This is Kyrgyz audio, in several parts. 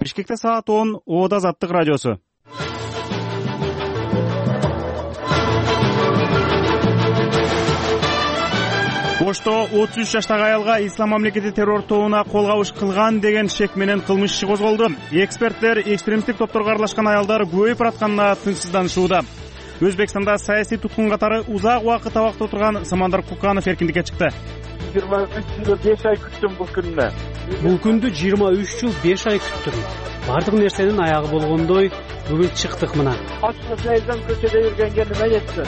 Бишкекте саат 10, Ода Азаттык радиосу. Ошто 33 жаштагы аялга ислам мамлекети террор тобуна кол кабыш кылган деген шек менен кылмыш иши козголду. Эксперттер экстремисттик топторго аралашкан аялдар көбөйүп баратканына тынчсызданышууда. Өзбекстанда саясий туткун катары узак убакыт абакта отурган Самандар Куканов эркиндикке чыкты. 23 жыл 5 ай күттүм бул күндү. Бул күндү 23 жыл 5 ай күттүм. Бардык нерсенин аягы болгондой бүгүн чыктык мына. Ачылса элден көчөдө жүргөнгө неме жетти?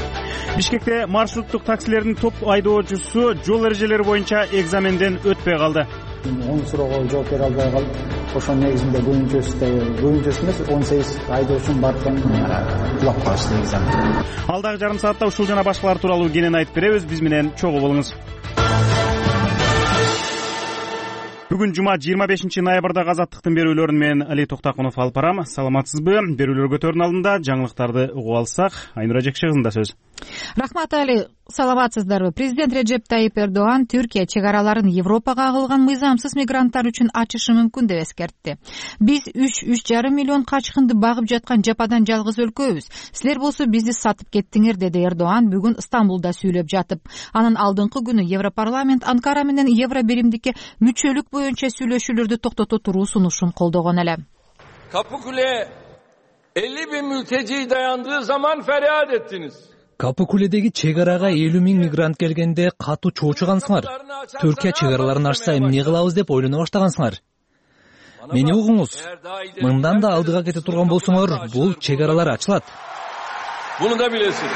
Бишкекте маршруттук таксилердин топ айдоочусу жол эрежелери боюнча экзаменден өтпөй калды. Оң суроого жооп бере албай калып, ошонун негизинде бүгүнчөсү эмес 18 айдоочум бар экен, кулап калышты экзамен. Алдагы жарым саатта ушул жана башкалар тууралуу кенен айтып беребиз. Биз менен чогуу болуңуз. Бүгүн жума 25 ноябрда Азаттыктын берүүлөрүн мен Али Токтакунов алып барам. Саламатсызбы? Берүүлөр көтөрүүнүн алдында жаңылыктарды угуп алсак, Айнура Жекшегызында сөз. Рахмат, Али. Саламатсыздарбы? Президент Реджеп Тайип Эрдоган Түркия чек араларын Европага агылган мыйзамсыз мигранттар үчүн ачышы мүмкүн деп эскертти. Биз 3,5 миллион качкынды багып жаткан жападан жалгыз өлкөбүз. Силер болсо бизди сатып кеттиңер, деди Эрдоган бүгүн Стамбулда сүйлөп жатып. Анын алдыңкы күнү Европарламент Анкара менен Евро биримдикке мүчөлүк боюнча сүйлөшүүлөрдү токтото туруу сунушун колдогон эле. Kapıkule 50.000 mülteci dayandığı zaman feryat ettiniz. Капыкуледеги чек арага 50.000 мигрант келгенде катуу чоочугансыңар. Түркия чек араларын ачса эмне кылабыз деп ойлоно баштагансыңар. Мени угуңуз. Мындан да алдыга кете турган болсоңор, бул чек аралар ачылат. Bunu da bilesin.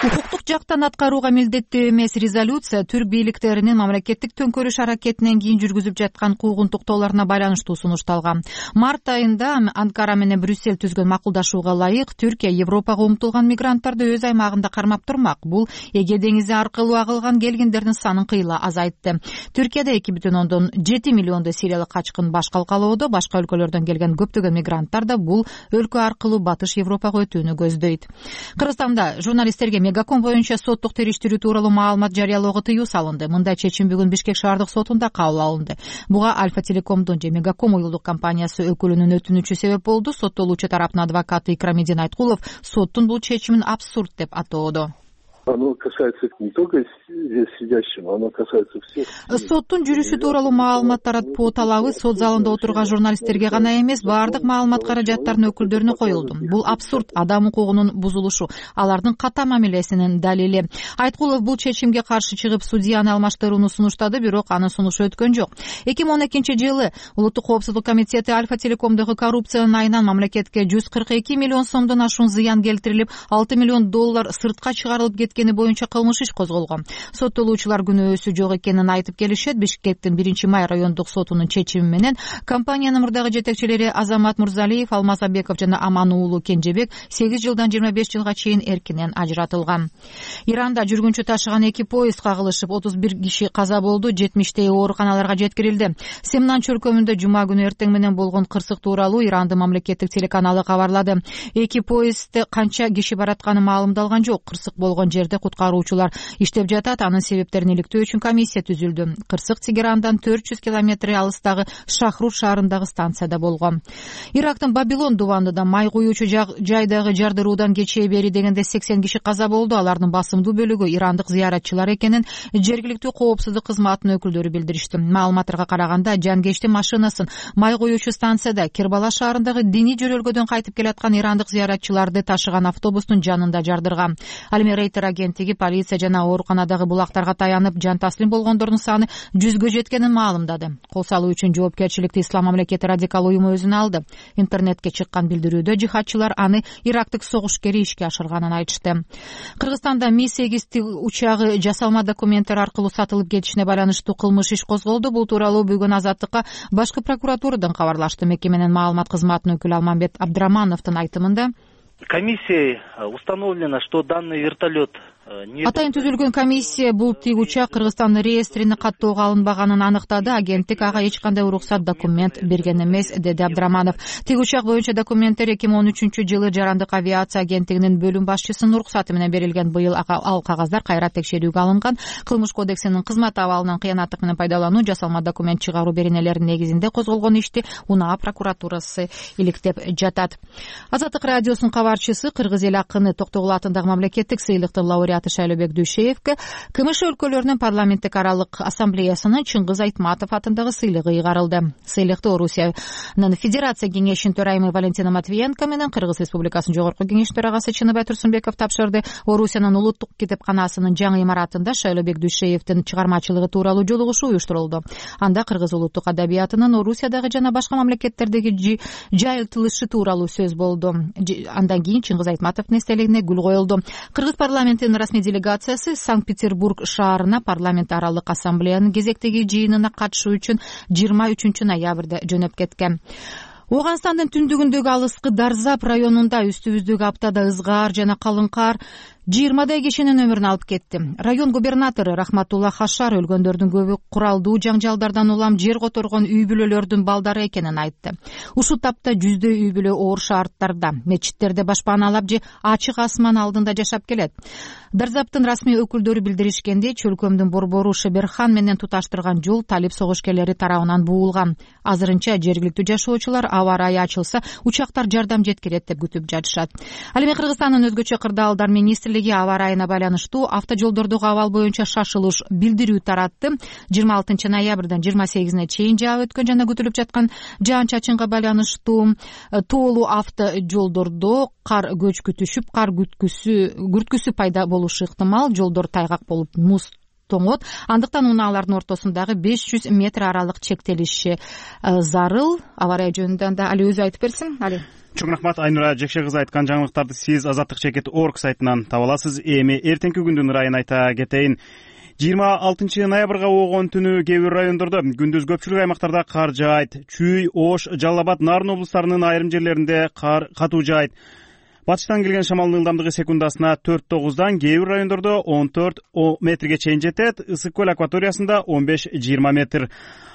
Укуктук жактан аткарууга милдеттүү эмес резолюция түрк бийликтеринин мамлекеттик төңкөрүш аракетинен кийин жүргүзүп жаткан куугунтуктоолоруна байланыштуу сунушталган. Март айында Анкара менен Брюссель түзгөн макулдашууга ылайык Түркия Европага умтулган мигранттарды өз аймагында кармап турмак. Бул Эге деңизи аркылуу агылган келгендердин санын кыйла азайтты. Түркияда 2,7 миллиондой сириялык качкын баш калкалоодо, башка өлкөлөрдөн келген көптөгөн мигранттар да бул өлкө аркылуу Батыш Европага өтүүнү көздөйт. Кыргызстанда журналисттерге Мегаком боюнча соттук териштирүү тууралуу маалымат жарыялоого тыюу салынды. Мындай чечим бүгүн Бишкек шаардык сотунда кабыл алынды. Буга Альфа Телекомдун же Мегаком уюлдук компаниясы өкүлүнүн өтүнүчү себеп болду. Соттолуучу тараптын адвокаты Икрамидин Айткулов соттун бул чечимин абсурд деп атоодо. Оно касается не только здесь сидящим, оно касается всех. Соттун жүрүшү тууралуу маалымат таратуу талабы сот залында отурган журналисттерге гана эмес, баардык маалымат каражаттарынын өкүлдөрүнө коюлду. Бул абсурд, адам укугунун бузулушу, алардын ката мамилесинин далили. Айткулов бул чечимге каршы чыгып судьяны алмаштырууну сунуштады, бирок анын сунушу өткөн жок. 2012 жылы Улуттук коопсуздук комитети Альфа Телекомдогу коррупциянын айынан мамлекетке 142 миллион сомдон ашуун зыян келтирилип, 6 миллион доллар сыртка чыгарылып кеткени боюнча кылмыш иш козголгон. Соттолуучулар күнөөсү жок экенин айтып келишет. Бишкектин 1-май райондук сотунун чечими менен компаниянын мурдагы жетекчилери Азамат Мурзалиев, Алмазабеков жана Аман уулу Кенжебек 8 жылдан 25 жылга чейин эркинен ажыратылган. Иранда жүргүнчү ташыган 2 поезд кагылышып 31 киши каза болду, 70 ооруканаларга жеткирилди. Семнан чөлкөмүндө жума күнү эртең менен болгон кырсык тууралуу Ирандын мамлекеттик телеканалы кабарлады. 2 поездде канча киши баратканы маалымдалган жок. Кырсык болгон жерде куткаруучулар иштеп жатат. Анын себептерин иликтөө үчүн комиссия түзүлдү. Кырсык Тегерандан 400 километр алыстагы Шахрур шаарындагы станцияда болгон. Ирактын Бабилон дубандыда май куюучу жайдагы жардыруудан кечээ бери дегенде 80 киши каза болду. Алардын басымдуу бөлүгү ирандык зыяратчылар экенин жергиликтүү коопсуздук кызматынын өкүлдөрү билдиришти. Маалыматтарга караганда жанкечтин машинасын май куюучу станцияда Кербала шаарындагы диний жөрөлгөдөн кайтып келаткан ирандык зыяратчыларды ташыган автобустун жанында жардырган. Ал эми Рейтер агенттиги полиция жана ооруканадагы булактарга таянып, жан таслим болгондордун саны 100гө жеткенин маалымдады. Кол салуу үчүн жоопкерчиликти Ислам мамлекети радикал уюму өзүнө алды. Интернетке чыккан билдирүүдө жихадчылар аны ирактык согушкери ишке ашырганын айтышты. Кыргызстанда Ми-8 учагы жасалма документтер аркылуу сатылып кетишине байланыштуу кылмыш иш козголду. Бул тууралуу бүгүн Азаттыкка башкы прокуратурадан кабарлашты. Мекеменин маалымат кызматынын өкүлү Алмамбет Абдрамановдун айтымында комиссией установлено, что данный вертолет Атайын түзүлгөн комиссия бул тик учак Кыргызстандын реестрине каттоого алынбаганын аныктады. Агенттик ага эч кандай уруксат, документ берген эмес, деди Абдыраманов. Тик учак боюнча документтер 2013-жылы Жарандык авиация агенттигинин бөлүм башчысынын уруксаты менен берилген. Быйыл ал кагаздар кайра текшерүүгө алынган. Кылмыш кодексинин кызмат абалынан кыянаттык менен пайдалануу, жасалма документ чыгаруу беренелеринин негизинде козголгон ишти УНА прокуратурасы иликтеп жатат. Азаттык радиосунун кабарчысы, кыргыз эл акыны Токтогул атындагы мамлекеттик сыйлыктын лауреаты Шайлообек Дүйшеевке КМШ өлкөлөрүнүн парламенттик аралык ассамблеясынын Чыңгыз Айтматов атындагы сыйлыгы ыйгарылды. Сыйлыкты Орусиянын Федерация кеңешинин төрайымы Валентина Матвиенко менен Кыргыз Республикасынын жогорку кеңеш төрагасы Чыныбай Турсунбеков тапшырды. Орусиянын улуттук китепканасынын жаңы имаратында Шайлообек Дүйшеевдин чыгармачылыгы тууралуу жолугушуу уюштурулду. Анда кыргыз улуттук адабиятынын Орусиядагы жана башка мамлекеттердеги жайылтылышы тууралуу сөз болду. Андан кийин Чыңгыз Айтматовдун эстелигине гүл коюлду. Кыргыз парламентинин расмий делегациясы Санкт-Петербург шаарына парламент аралык ассамблеянын кезектеги жыйынына катышуу үчүн 23 ноябрда жөнөп кеткен. Ооганстандын түндүгүндөгү алыскы Дарзап районунда үстүбүздөгү аптада ызгаар жана калың кар 20 кишинин өмүрүн алып кетти. Район губернатору Рахматулла Хашар өлгөндөрдүн көбү куралдуу жаңжалдардан улам жер которгон үй бүлөлөрдүн балдары экенин айтты. Ушул тапта жүздөй үй бүлө оор шаардтарда, мечиттерде башпаналап же ачык асман алдында жашап келет. Дарзаптын расмий өкүлдөрү билдиришкендей, чөлкөмдүн борбору Шеберхан менен туташтырган жол талип согушкерлери тарабынан буулган. Азырынча жергиликтүү жашоочулар аба ырайы ачылса, учактар жардам жеткирет деп күтүп жатышат. Ал эми Кыргызстандын өзгөчө кырдаалдар министрлиги аба ырайына байланыштуу автожолдордогу абал боюнча шашылыш билдирүү таратты. 26 ноябрдан 28-ине чейин жаап өткөн жана күтүлүп жаткан жаан-чачынга байланыштуу тоолуу автожолдордо кар көчкү түшүп, кар күрткүсү пайда болушу ыктымал. Жолдор тайгак болуп муз тоңот. Андыктан унаалардын ортосундагы 500 метр аралык чектелиши зарыл. Аба ырайы жөнүндө да Али өзү айтып берсин. Али. Чоң рахмат. Айнура Жекше кызы айткан жаңылыктарды сиз Азаттык чекит орг сайтынан таба аласыз. Эми эртеңки күндүн ырайын айта кетейин. 26 ноябрга болгон түнү кээ бир райондордо, күндүз көпчүлүк аймактарда кар жаайт. Чүй, Ош, Жалал Абад, Нарын облустарынын айрым жерлеринде кар катуу жаайт. Батыштан келген шамалдын ылдамдыгы секундасына 4-9дан, кээ бир райондордо 14 метрге чейин жетет. Ысык көл акваториясында 15-20 метр.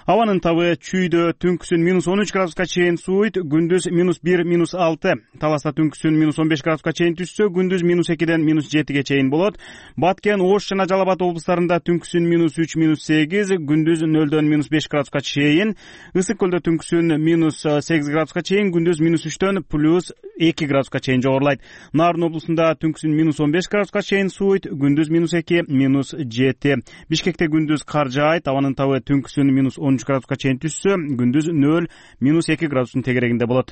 Абанын табы Чүйдө түнкүсүн -13 градуска чейин сууйт, күндүз -1, -6. Таласта түнкүсүн -15 градуска чейин түшсө, күндүз -2ден -7ге чейин болот. Баткен, Ош жана Жалал Абад облустарында түнкүсүн -3, -8, күндүз 0дөн -5 градуска чейин. Ысык көлдө түнкүсүн -8 градуска чейин, күндүз -3дөн +2 градуска чейин жогорулайт. Нарын облусунда түнкүсүн -15 градуска чейин сууйт, күндүз -2, -7. Бишкекте күндүз кар жаайт, абанын табы түнкүсүн -13 градуска чейин түшсө, күндүз 0, -2 градустун тегерегинде болот.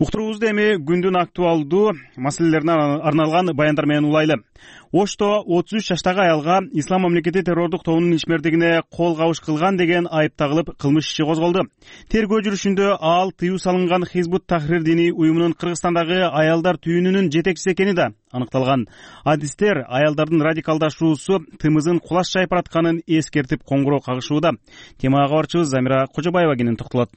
Уктуруубузду эми күндүн актуалдуу маселелерине арналган баяндар менен улайлы. Ошто 33 жаштагы аялга Ислам мамлекети террордук тобунун ишмердигине кол кабыш кылган деген айып тагылып, кылмыш иши козголду. Тергөө жүрүшүндө ал тыюу салынган Хизбут Тахрир диний уюмунун Кыргызстандагы аялдар түйүнүнүн жетекчиси экени да аныкталган. Адистер аялдардын радикалдашуусу тымызын кулаш жайып баратканын эскертип коңгуроо кагышууда. Темага кабарчыбыз Замира Кожобаева кенен токтолот.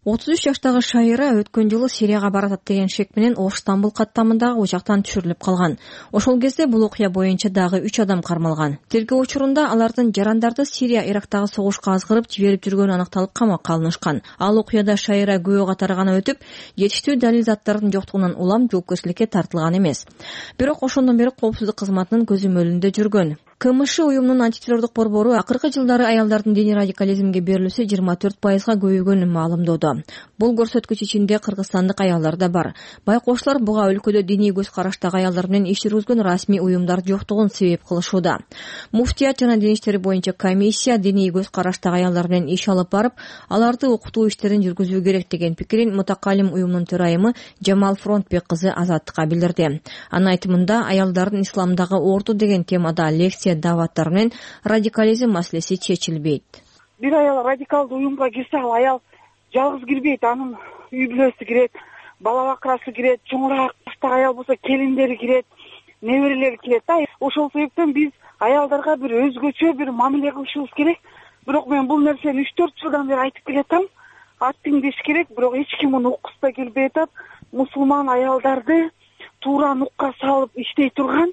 33 жаштагы Шайра өткөн жылы Сирияга баратат деген шек менен Ош-Стамбул каттамындагы учактан түшүрүлүп калган. Ошол кезде бул окуя боюнча дагы 3 адам кармалган. Тергөө учурунда алардын жарандарды Сирия, Ирактагы согушка азгырып жиберип жүргөнү аныкталып камакка алынышкан. Ал окуяда Шайра күбө катары гана өтүп, жетиштүү далил заттардын жоктугунан улам жоопкерчиликке тартылган эмес. Бирок ошондон бери коопсуздук кызматынын көзөмөлүндө жүргөн. КМШ уюмунун антитеррордук борбору акыркы жылдары аялдардын диний радикализмге берилүүсү 24%га көбөйгөнүн маалымдоодо. Бул көрсөткүч ичинде кыргызстандык аялдар да бар. Байкоочулар буга өлкөдө диний көз караштагы аялдар менен иш жүргүзгөн расмий уюмдар жоктугун себеп кылышууда. Муфтият жана дин иштери боюнча комиссия диний көз караштагы аялдар менен иш алып барып, аларды окутуу иштерин жүргүзүү керек деген пикирин мутакалим уюмунун төрайымы Жамал Фронтбек кызы Азаттыкка билдирди. Анын айтымында, аялдардын исламдагы орду деген темада лекция даваттар менен радикализм маселеси чечилбейт. Бир аял радикалдуу уюмга кирсе, ал аял жалгыз кирбейт, анын үй бүлөсү кирет, бала бакырасы кирет, чоңураак жаштагы аял болсо келиндери кирет, неберелери кирет да. Ошол себептен биз аялдарга бир өзгөчө бир мамиле кылышыбыз керек. Бирок мен бул нерсени 3-4 жылдан бери айтып келатам. аттиң деш керек, бирок эч ким муну уккусы да келбей атат. Мусулман аялдарды туура нукка салып иштей турган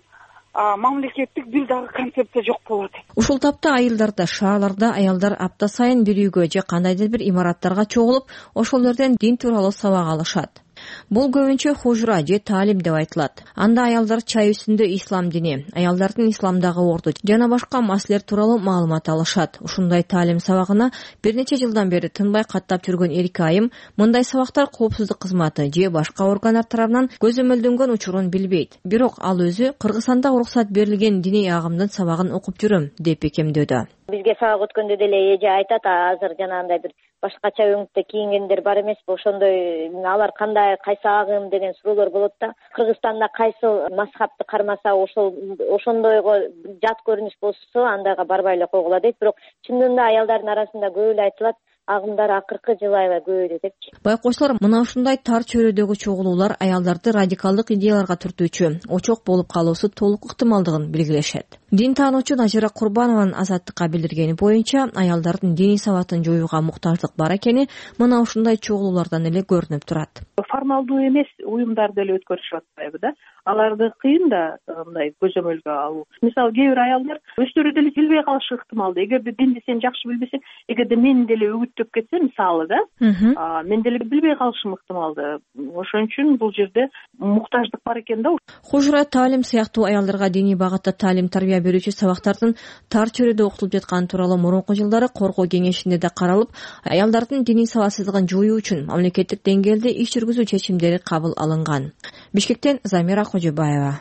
мамлекеттик бир дагы концепция жок болот. Ушул тапта айылдарда, шаарларда аялдар апта сайын бир үйгө же кандайдыр бир имараттарга чогулуп, ошол жерден дин тууралуу сабак алышат. Бул көбүнчө хужура же таалим деп айтылат. Анда аялдар чай үстүндө ислам дини, аялдардын исламдагы орду жана башка маселелер тууралуу маалымат алышат. Ушундай таалим сабагына бир нече жылдан бери тынбай каттап жүргөн Эрик Айым мындай сабактар коопсуздук кызматы же башка органдар тарабынан көзөмөлдөнгөн учурун билбейт. Бирок ал өзү Кыргызстанда уруксат берилген диний агымдын сабагын окуп жүрөм деп бекемдөөдө. Бизге сабак өткөндө деле эже айтат, азыр жанагындай бир башкача өңүттө кийингендер бар эмеспи, ошондой алар кандай, кайсы агым деген суроолор болот да. Кыргызстанда кайсы мазхабты кармаса ошондойго жат көрүнүш болсо андайга барбай эле койгула дейт. Бирок чындыгында аялдардын арасында көп эле айтылат, агымдар акыркы жыл аябай көбөйдү депчи. Байкоочулар мына ушундай тар чөйрөдөгү чогулуулар аялдарды радикалдык идеяларга түртүүчү, очок болуп калуусу толук ыктымалдыгын белгилешет. Дин таануучу Назира Курбанованын Азаттыкка билдиргени боюнча, аялдардын диний сабатын жоюуга муктаждык бар экени мына ушундай чогулуулардан эле көрүнүп турат. Формалдуу эмес уюмдар деле өткөрүшүп атпайбы да. Аларды кыйын да мындай көзөмөлгө алуу. Мисалы кээ бир аялдар өздөрү деле билбей калышы ыктымал. Эгерде динди сен жакшы билбесең, эгерде мен деле үгүттөп кетсем, мисалы да, мен деле билбей калышым ыктымал да. Ошон үчүн бул жерде муктаждык бар экен да. Хужура таалим сыяктуу аялдарга диний багытта таалим тарбия берүүчү сабактардын тар чөйрөдө окутулуп жатканы тууралуу мурунку жылдары коргоо кеңешинде да каралып, аялдардын диний сабатсыздыгын жоюу үчүн мамлекеттик деңгээлде иш жүргүзүү чечимдери кабыл алынган. Бишкектен Замира Кожобаева.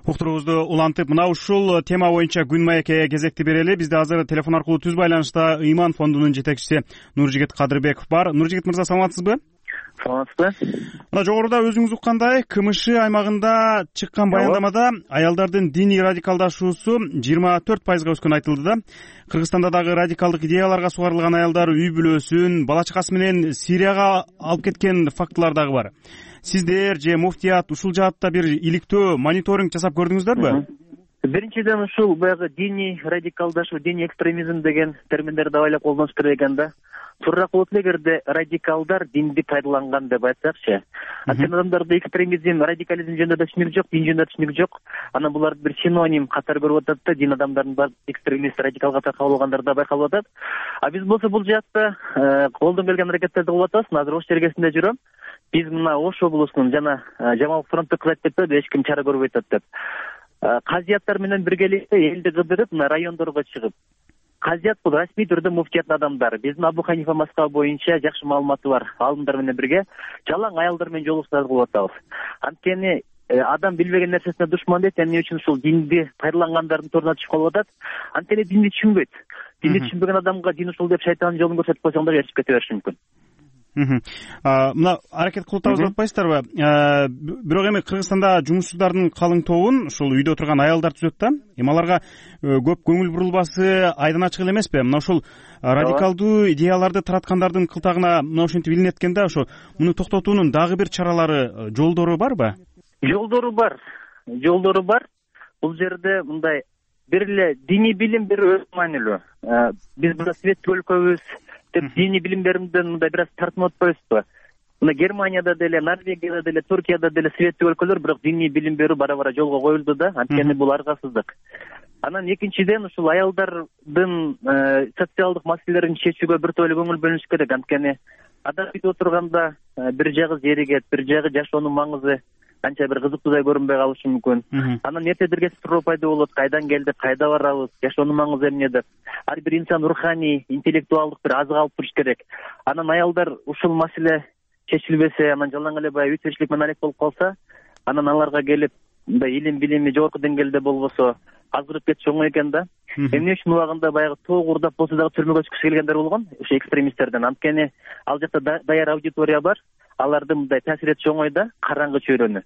Уктуруубузду улантып, мына ушул тема боюнча Күн маекке кезекти берели. Бизде азыр телефон аркылуу түз байланышта Ыйман фондунун жетекчиси Нуржигит Кадырбеков бар. Нуржигит мырза, саламатсызбы? Саламатсызбы. Мына жогоруда өзүңүз уккандай, КМШ аймагында чыккан баяндамада аялдардын диний радикалдашуусу 24%га өскөнү айтылды да. Кыргызстанда дагы радикалдык идеяларга сугарылган аялдар үй бүлөсүн, бала чакасы менен Сирияга алып кеткен фактылар дагы бар. Сиздер же муфтият ушул жаатта бир иликтөө мониторинг жасап көрдүңүздөрбү? Биринчиден ушул баягы диний радикалдашуу, диний экстремизм деген терминдерди байлап колдонуш керек экен да. Туураак болот эле эгерде радикалдар динди пайдаланган деп айтсакчы. Анткени адамдарда экстремизм, радикализм жөнүндө да түшүнүк жок, дин жөнүндө түшүнүк жок. Анан буларды бир синоним катары көрүп атат да, дин адамдардын бар экстремист, радикалга таркалып алгандар да байкалып атат. А биз болсо бул жаатта колдон келген аракеттерди кылып атабыз. Азыр Ош жергесинде жүрөм. Биз мына Ош облусунун жана Жамал фронтту кыз айтып кетти, эч ким чара көрбөй атат деп. Казияттар менен биргеликте элди кыдырып, мына райондорго чыгып, казият бул расмий түрдө муфтияттын адамдары. Биздин Абу Ханифа мазхабы боюнча жакшы маалыматы бар алымдар менен бирге жалаң аялдар менен жолугушуулар кылып атабыз. Анткени адам билбеген нерсесине душман дейт, эмне үчүн ушул динди пайдалангандардын торуна түшүп калып атат. Анткени динди түшүнбөйт. Динди түшүнбөгөн адамга дин ушул деп шайтандын жолун көрсөтүп койсоң да ээрчип кете бериши мүмкүн. Мына аракет кылып атабыз деп атпайсыздарбы? Бирок эми Кыргызстанда жумушсуздардын калың тобун ушул үйдө отурган аялдар түзөт да. Эми аларга көп көңүл бурулбасы айдан ачык эле эмеспи? Мына ушул радикалдуу идеяларды тараткандардын кылтагына мына ошентип илинет экен да. Ошо муну токтотуунун дагы бир чаралары, жолдору барбы? Жолдору бар. Бул жерде мындай бир эле диний билим бир өз маанилүү. Биз мына светтик өлкөбүз деп диний билимдеримден мындай бир аз тартынып атпайбызбы? Мына Германияда деле, Норвегияда деле, Туркияда деле светтик өлкөлөр, бирок диний билим берүү бара-бара жолго коюлду да. Анткени бул аргасыздык. Анан экинчиден ушул аялдардын социалдык маселелерин чечүүгө бир топ эле көңүл бөлүнүш керек. Анткени адам үйдө отурганда бир жагы зеригет, бир жагы жашоонун маңызы анча бир кызыктуудай көрүнбөй калышы мүмкүн. Анан эртедирге суроо пайда болот, кайдан келдик, кайда барабыз, жашоонун маңызы эмне деп. Ар бир инсан руханий, интеллектуалдык бир азык алып туруш керек. Анан аялдар ушул маселе чечилбесе, анан жалаң эле баягы үй тиричилик менен алек болуп калса, анан аларга келип мындай илим билими жогорку деңгээлде болбосо азгырып кетиш оңой экен да. Эмне үчүн убагында баягы тоог урдап болсо дагы түрмөгө түшкүсү келгендер болгон, ошо экстремисттерден. Анткени ал жакта даяр аудитория бар. Аларды мындай таасир этиш оңой да, караңгы чөйрөнү.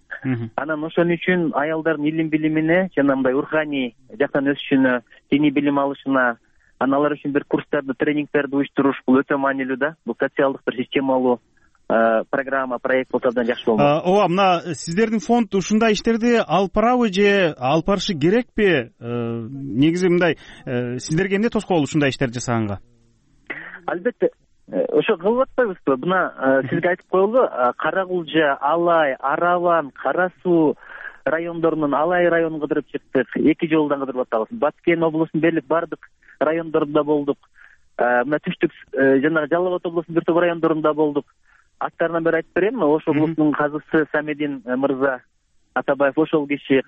Анан ошон үчүн аялдардын илим билимине жана мындай руханий жактан өсүшүнө, диний билим алышына, анан алар үчүн бир курстарды, тренингтерди уюштуруш бул өтө маанилүү да. Бул социалдык бир системалуу программа, проект болсо абдан жакшы болмок. Ооба, мына сиздердин фонд ушундай иштерди алып барабы же алып барышы керекпи? Негизи мындай сиздерге эмне тоскоол ушундай иштерди жасаганга? Албетте ошо кылып атпайбызбы? Мына сизге айтып коелу, Кара Кулжа, Алай, Араван, Кара Суу райондорунун Алай районун кыдырып чыктык. 2 жолдон кыдырып атабыз. Баткен облусунун дээрлик бардык райондорунда болдук. Мына түштүк жанагы Жалал Абад облусунун бир топ райондорунда болдук. Аттарынан бери айтып берейинби? Ош облусунун казысы Самедин мырза Атабаев ошол киши,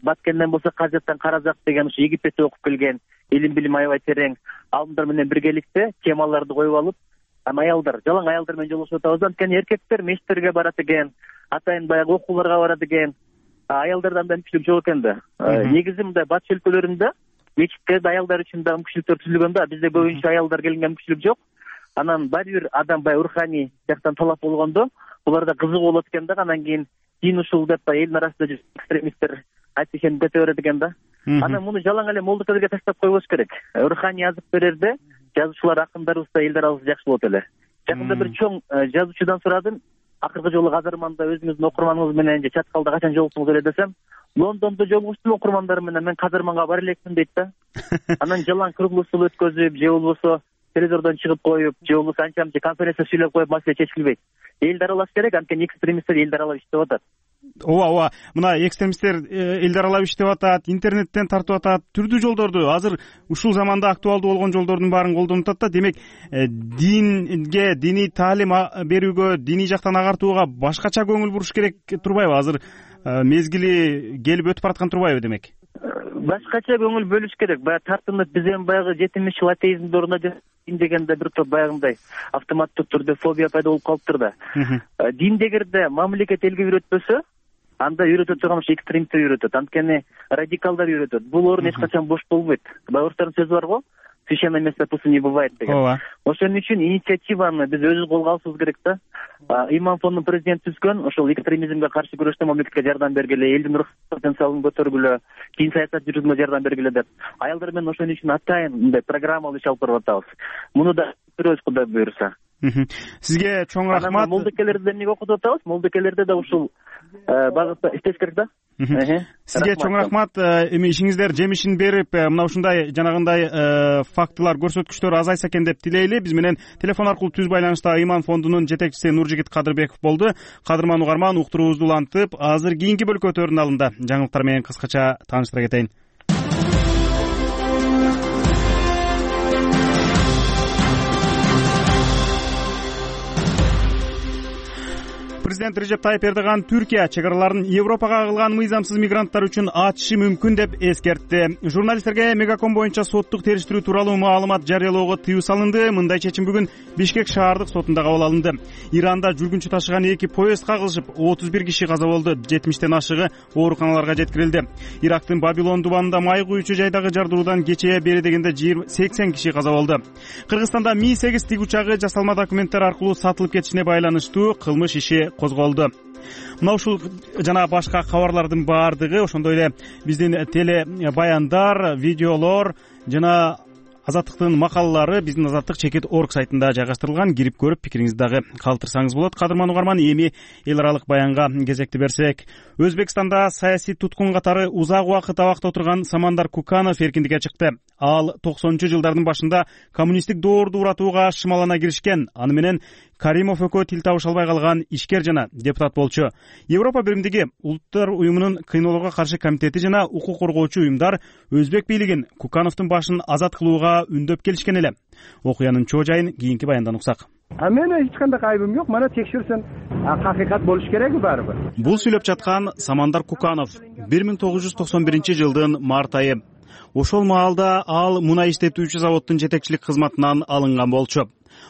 Баткенден болсо Казяттан Каразак деген ушу Египетте окуп келген, илим билим аябай терең. Алдымдар менен биргеликте темаларды коюп алып, аялдар, жалаң аялдар менен жолугушуп атабыз. Анткени эркектер мечиттерге барат экен, атайын баягы окууларга барат экен. Аялдарда андай мүмкүнчүлүк жок экен да. Негизи мындай батыш өлкөлөрүндө мечиттерде аялдар үчүн да мүмкүнчүлүктөр түзүлгөн да. Бизде көбүнчө аялдар келген мүмкүнчүлүк жок. Анан баары бир адам баягы руханий жактан талап болгондо, буларда кызык болот экен да. Анан кийин дин ушул деп элдин арасында экстремисттер айтышын кете берет экен да. Анан муну жалаң эле молдокелерге таштап койбош керек. Руханий азык берерде жазуучулар, акындарыбыз да элдер жакшы болот эле. Жакында бир чоң жазуучудан сурадым. Акыркы жолу Казырманда өзүңүздүн окурманыңыз менен же чаткалда качан жолуктуңуз эле десем, Лондондо жолугуштум окурмандарым менен, мен Казырманга бара элекмин дейт да. Анан жалаң круглый стол өткөзүп, же болбосо телевизордон чыгып коюп, же болбосо анча-мынча конференция сүйлөп коюп маселе чечилбейт. Элди аралаш керек, анткени экстремисттер элди аралап иштеп атат. Ооба, мына экстремисттер элди аралап иштеп атат, интернеттен тартып атат, түрдүү жолдорду, азыр ушул заманда актуалдуу болгон жолдордун баарын колдонуп атат да. Демек, динге, диний таалим берүүгө, диний жактан агартууга башкача көңүл буруш керек турбайбы? Азыр мезгили келип өтүп бараткан турбайбы демек? Башкача көңүл бөлүш керек. Баягы тартынып, биз эми баягы 70 жыл атеизмди орнотуп дегенде бир топ баягындай автоматтык түрдө фобия пайда болуп калыптыр да. Дин дегенде мамлекет элге үйрөтпөсө, анда үйрөтө турган экстремисттер үйрөтөт. Анткени радикалдар үйрөтөт. Бул орун эч качан бош болбойт. Орустардын сөзү бар го, священное место пусто не бывает деген. Ошон үчүн инициативаны биз өзүбүз колго алышыбыз керек да. Иман фондунун президенти түзгөн, ошол экстремизмге каршы күрөштө мамлекетке жардам бергиле, элдин руханий потенциалын көтөргүлө, кийин саясат жүргүзүүгө жардам бергиле деп. Аялдар менен ошон үчүн атайын мындай программалуу иш алып барып атабыз. Муну да көрөбүз, Кудай буйруса. Сизге чоң рахмат. Молдокелерди эмнеге окутуп атабыз? Молдокелерде да ушул багытта иштеш керек да. Сизге чоң рахмат. Эми ишиңиздер жемишин берип, мына ушундай жанагындай фактылар, көрсөткүчтөр азайса экен деп тилейли. Биз менен телефон аркылуу түз байланышта Иман фондунун жетекчиси Нуржигит Кадырбеков болду. Кадырман угарман, уктуруубузду улантып, азыр кийинки бөлкө өтөрүнүн алдында жаңылыктар менен кыскача тааныштыра кетейин. Президент Режеп Тайип Эрдоган Түркия чегараларын Европага кылган мыйзамсыз мигранттар үчүн ачышы мүмкүн деп эскертти. Журналисттерге Мегаком боюнча соттук териштирүү тууралуу маалымат жарыялоого тыюу салынды. Мындай чечим бүгүн Бишкек шаардык сотунда кабыл алынды. Иранда жүргүнчү ташыган 2 поезд кагылышып, 31 киши каза болду, 70тен ашыгы ооруканаларга жеткирилди. Ирактын Бабилон дубанында май куючу жайдагы жардыруудан кечээ бери дегенде 80 киши каза болду. Кыргызстанда Ми-8 тиг учагы жасалма документтер аркылуу сатылып кетишине байланыштуу кылмыш иши козголду. Мына ушул жана башка кабарлардын баардыгы, ошондой эле биздин теле баяндар, видеолор жана Азаттыктын макалалары биздин Азаттык.org сайтында жайгаштырылган. Кирип көрүп, пикириңизди дагы калтырсаңыз болот. Кадырман угарман, эми эл аралык баянга кезекти берсек. Өзбекстанда саясий туткун катары узак убакыт абакта отурган Самандар Куканов эркиндикке чыкты. Ал 90-жылдардын башында коммунисттик доорду уратууга шымалана киришкен. Аны менен Каримов экөө тил табыша албай калган ишкер жана депутат болчу. Европа биримдиги Улуттар уюмунун кыйноолорго каршы комитети жана укук коргоочу уюмдар өзбек бийлигин Кукановдун башын азат кылууга үндөп келишкен эле. Окуянын чоо жайын кийинки баяндан уксак. Менин эч кандай айыбым жок. Мана текшерсен акыйкат болуш керек баарыбы. Бул сүйлөп жаткан Самандар Куканов 1991-жылдын март айы. Ошол маалда ал мунай иштетүүчү заводдун жетекчилик кызматынан алынган болчу.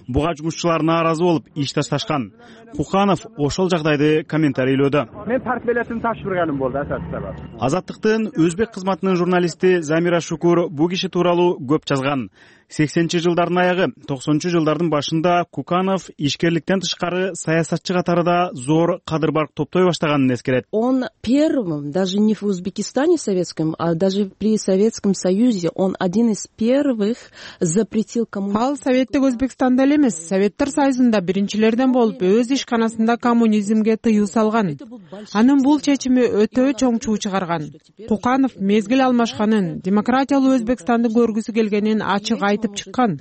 Буга жумушчулар нааразы болуп иш ташташкан. Куканов ошол жагдайды комментарийлөөдө. Мен партия билетин тапшырганым болду асасында. Азаттыктын өзбек кызматынын журналисти Замира Шукур бу киши тууралуу көп жазган. 80-жылдардын аягы, 90-жылдардын башында Куканов ишкерликтен тышкары саясатчы катарында зор кадыр-барк топтой баштаганын эскерет. Он первым, даже не в Узбекистане советском, а даже при Советском Союзе, он один из первых запретил коммунизм. Ал Советтик Өзбекстанда эле эмес, Советтер Союзунда биринчилерден болуп, өз ишканасында коммунизмге тыюу салган. Анын бул чечими өтө чоң чуу чыгарган. Куканов мезгил алмашканын, демократиялуу Өзбекстанды көргүсү келгенин ачык айтып чыккан.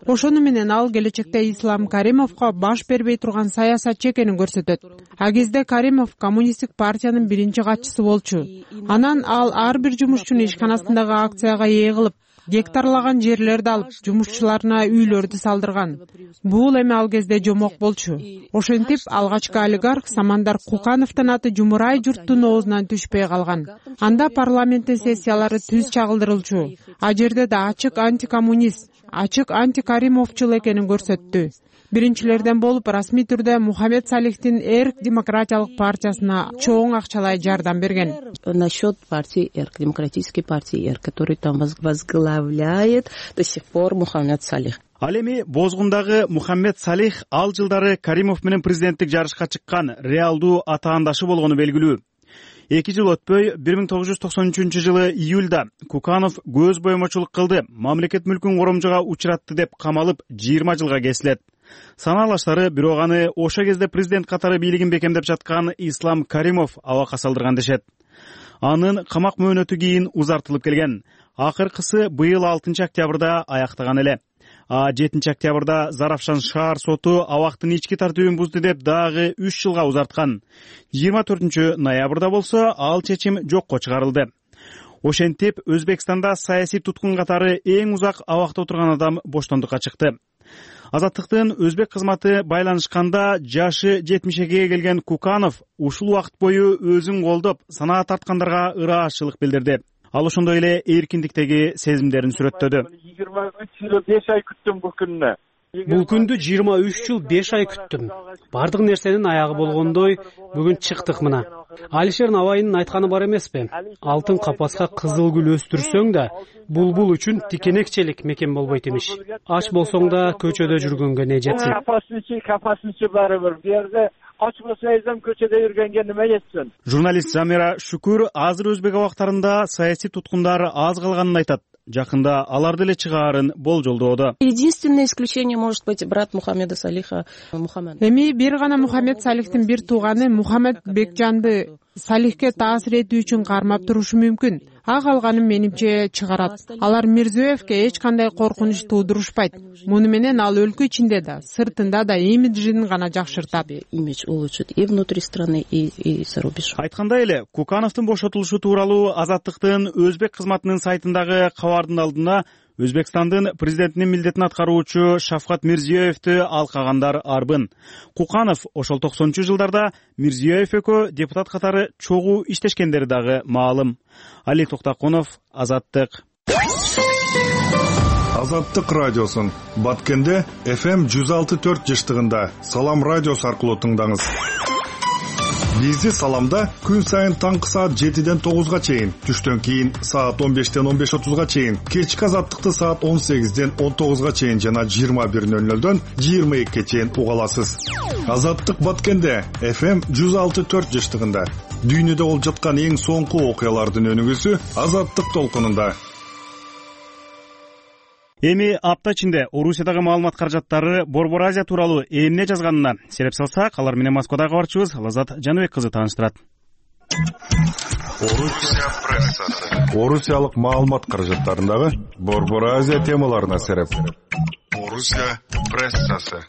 Ошону менен ал келечекте Ислам Каримовго баш бербей турган саясатчы экенин көрсөтөт. А кезде Каримов коммунисттик партиянын биринчи катчысы болчу. Анан ал ар бир жумушчуну ишканасындагы акцияга ээ кылып, гектарлаган жерлерди алып, жумушчуларына үйлөрдү салдырган. Бул эми ал кезде жомок болчу. Ошентип алгачкы олигарх Самандар Кукановдун аты жумурай журттун оозунан түшпөй калган. Анда парламенттин сессиялары түз чагылдырылчу. А жерде да ачык антикоммунист, ачык антикаримовчул экенин көрсөттү. Биринчилерден болуп расмий түрдө Мухаммед Салихтин Эрк демократиялык партиясына чоң акчалай жардам берген. Насчет партии Эрк, демократической партии Эрк, который там возглавляет до сих пор Мухаммед Салих. Ал эми Бозгундагы Мухаммед Салих ал жылдары Каримов менен президенттик жарышка чыккан реалдуу атаандашы болгону белгилүү. 2 жыл өтпөй 1993 жылы июлда Куканов көз боемочулук кылды, мамлекет мүлкүн коромжого учуратты деп камалып 20 жылга кесилет. Санаалаштары бирок аны ошо кезде президент катары бийлигин бекемдеп жаткан Ислам Каримов абакка салдырган дешет. Анын камак мөөнөтү кийин узартылып келген. Акыркысы быйыл 6 октябрда аяктаган эле. 7 октябрда Заравшан шаар соту абактын ички тартибин бузду деп дагы 3 жылга узарткан. 24 ноябрда болсо ал чечим жокко чыгарылды. Ошентип Өзбекстанда саясий туткун катары эң узак абакта отурган адам боштондукка чыкты. Азаттыктын өзбек кызматы байланышканда жашы 70-ге келген Куканов ушул убакыт бою өзүн колдоп, санаа тарткандарга ыраазычылык билдирди. Ал ошондой эле эркиндиктеги сезимдерин сүрөттөдү. 23 жыл 5 ай күттүм бул күнүнө. Бул күндү 23 жыл 5 ай күттүм. Бардык нерсенин аягы болгондой бүгүн чыктык мына. Алишер Навайнын айтканы бар эмеспи? Алтын капаска кызыл гүл өстүрсөң да, булбул үчүн тикенекчелик мекен болбойт имиш. Ач болсоң да көчөдө жүргөнгө не жетсин. Капасынчы барыбыр. Бу жерде ач болсоңуз көчөдө жүргөнгө неме жетсин? Журналист Замира Шүкүр азыр өзбек абактарында саясий туткундар аз калганын айтат. Жакында аларды эле чыгаарын болжолдоодо. Единственное исключение может быть брат Мухаммеда Салиха Мухаммед. Эми бир гана Мухаммед Салихтин бир тууганы Мухаммед Бекжанды Салихке таасир этүү үчүн кармап турушу мүмкүн. А калганын менимче чыгарат. Алар Мирзиёевке эч кандай коркунуч туудурушпайт. Муну менен ал өлкө ичинде да, сыртында да имиджин гана жакшыртат. Имидж улучшит и внутри страны, и за рубеж. Айткандай эле, Кукановдун бошотулушу тууралуу Азаттыктын өзбек кызматынын сайтындагы кабардын алдына Өзбекстандын президентинин милдетин аткаруучу Шавкат Мирзиёевди алкагандар арбын. Куканов ошол 90-жылдарда Мирзиёев экөө депутат катары чогуу иштешкендери дагы маалым. Али Токтакунов, Азаттык. Азаттык радиосун Баткенде FM 106.4 жыштыгында Салам радиосу аркылуу тыңдаңыз. Бизди Саламда күн сайын таңкы саат 7-ден 9-га чейин, түштөн кийин саат 15-ден 15:30-га чейин, кечки Азаттыкты саат 18-ден 19-га чейин жана 21:00-дөн 22-ге чейин уга аласыз. Азаттык Баткенде FM 106.4 жыштыгында дүйнөдө болуп жаткан эң соңку окуялардын өнүгүүсү Азаттык толкунунда. Эми апта ичинде Орусиядагы маалымат каражаттары Борбор Азия тууралуу эмне жазганына сереп салсак, алар менен Москвадагы кабарчыбыз Лазат Жаныбек кызы тааныштырат. Орусия прессасы. Орусиялык маалымат каражаттарындагы Борбор Азия темаларына сереп. Орусия прессасы.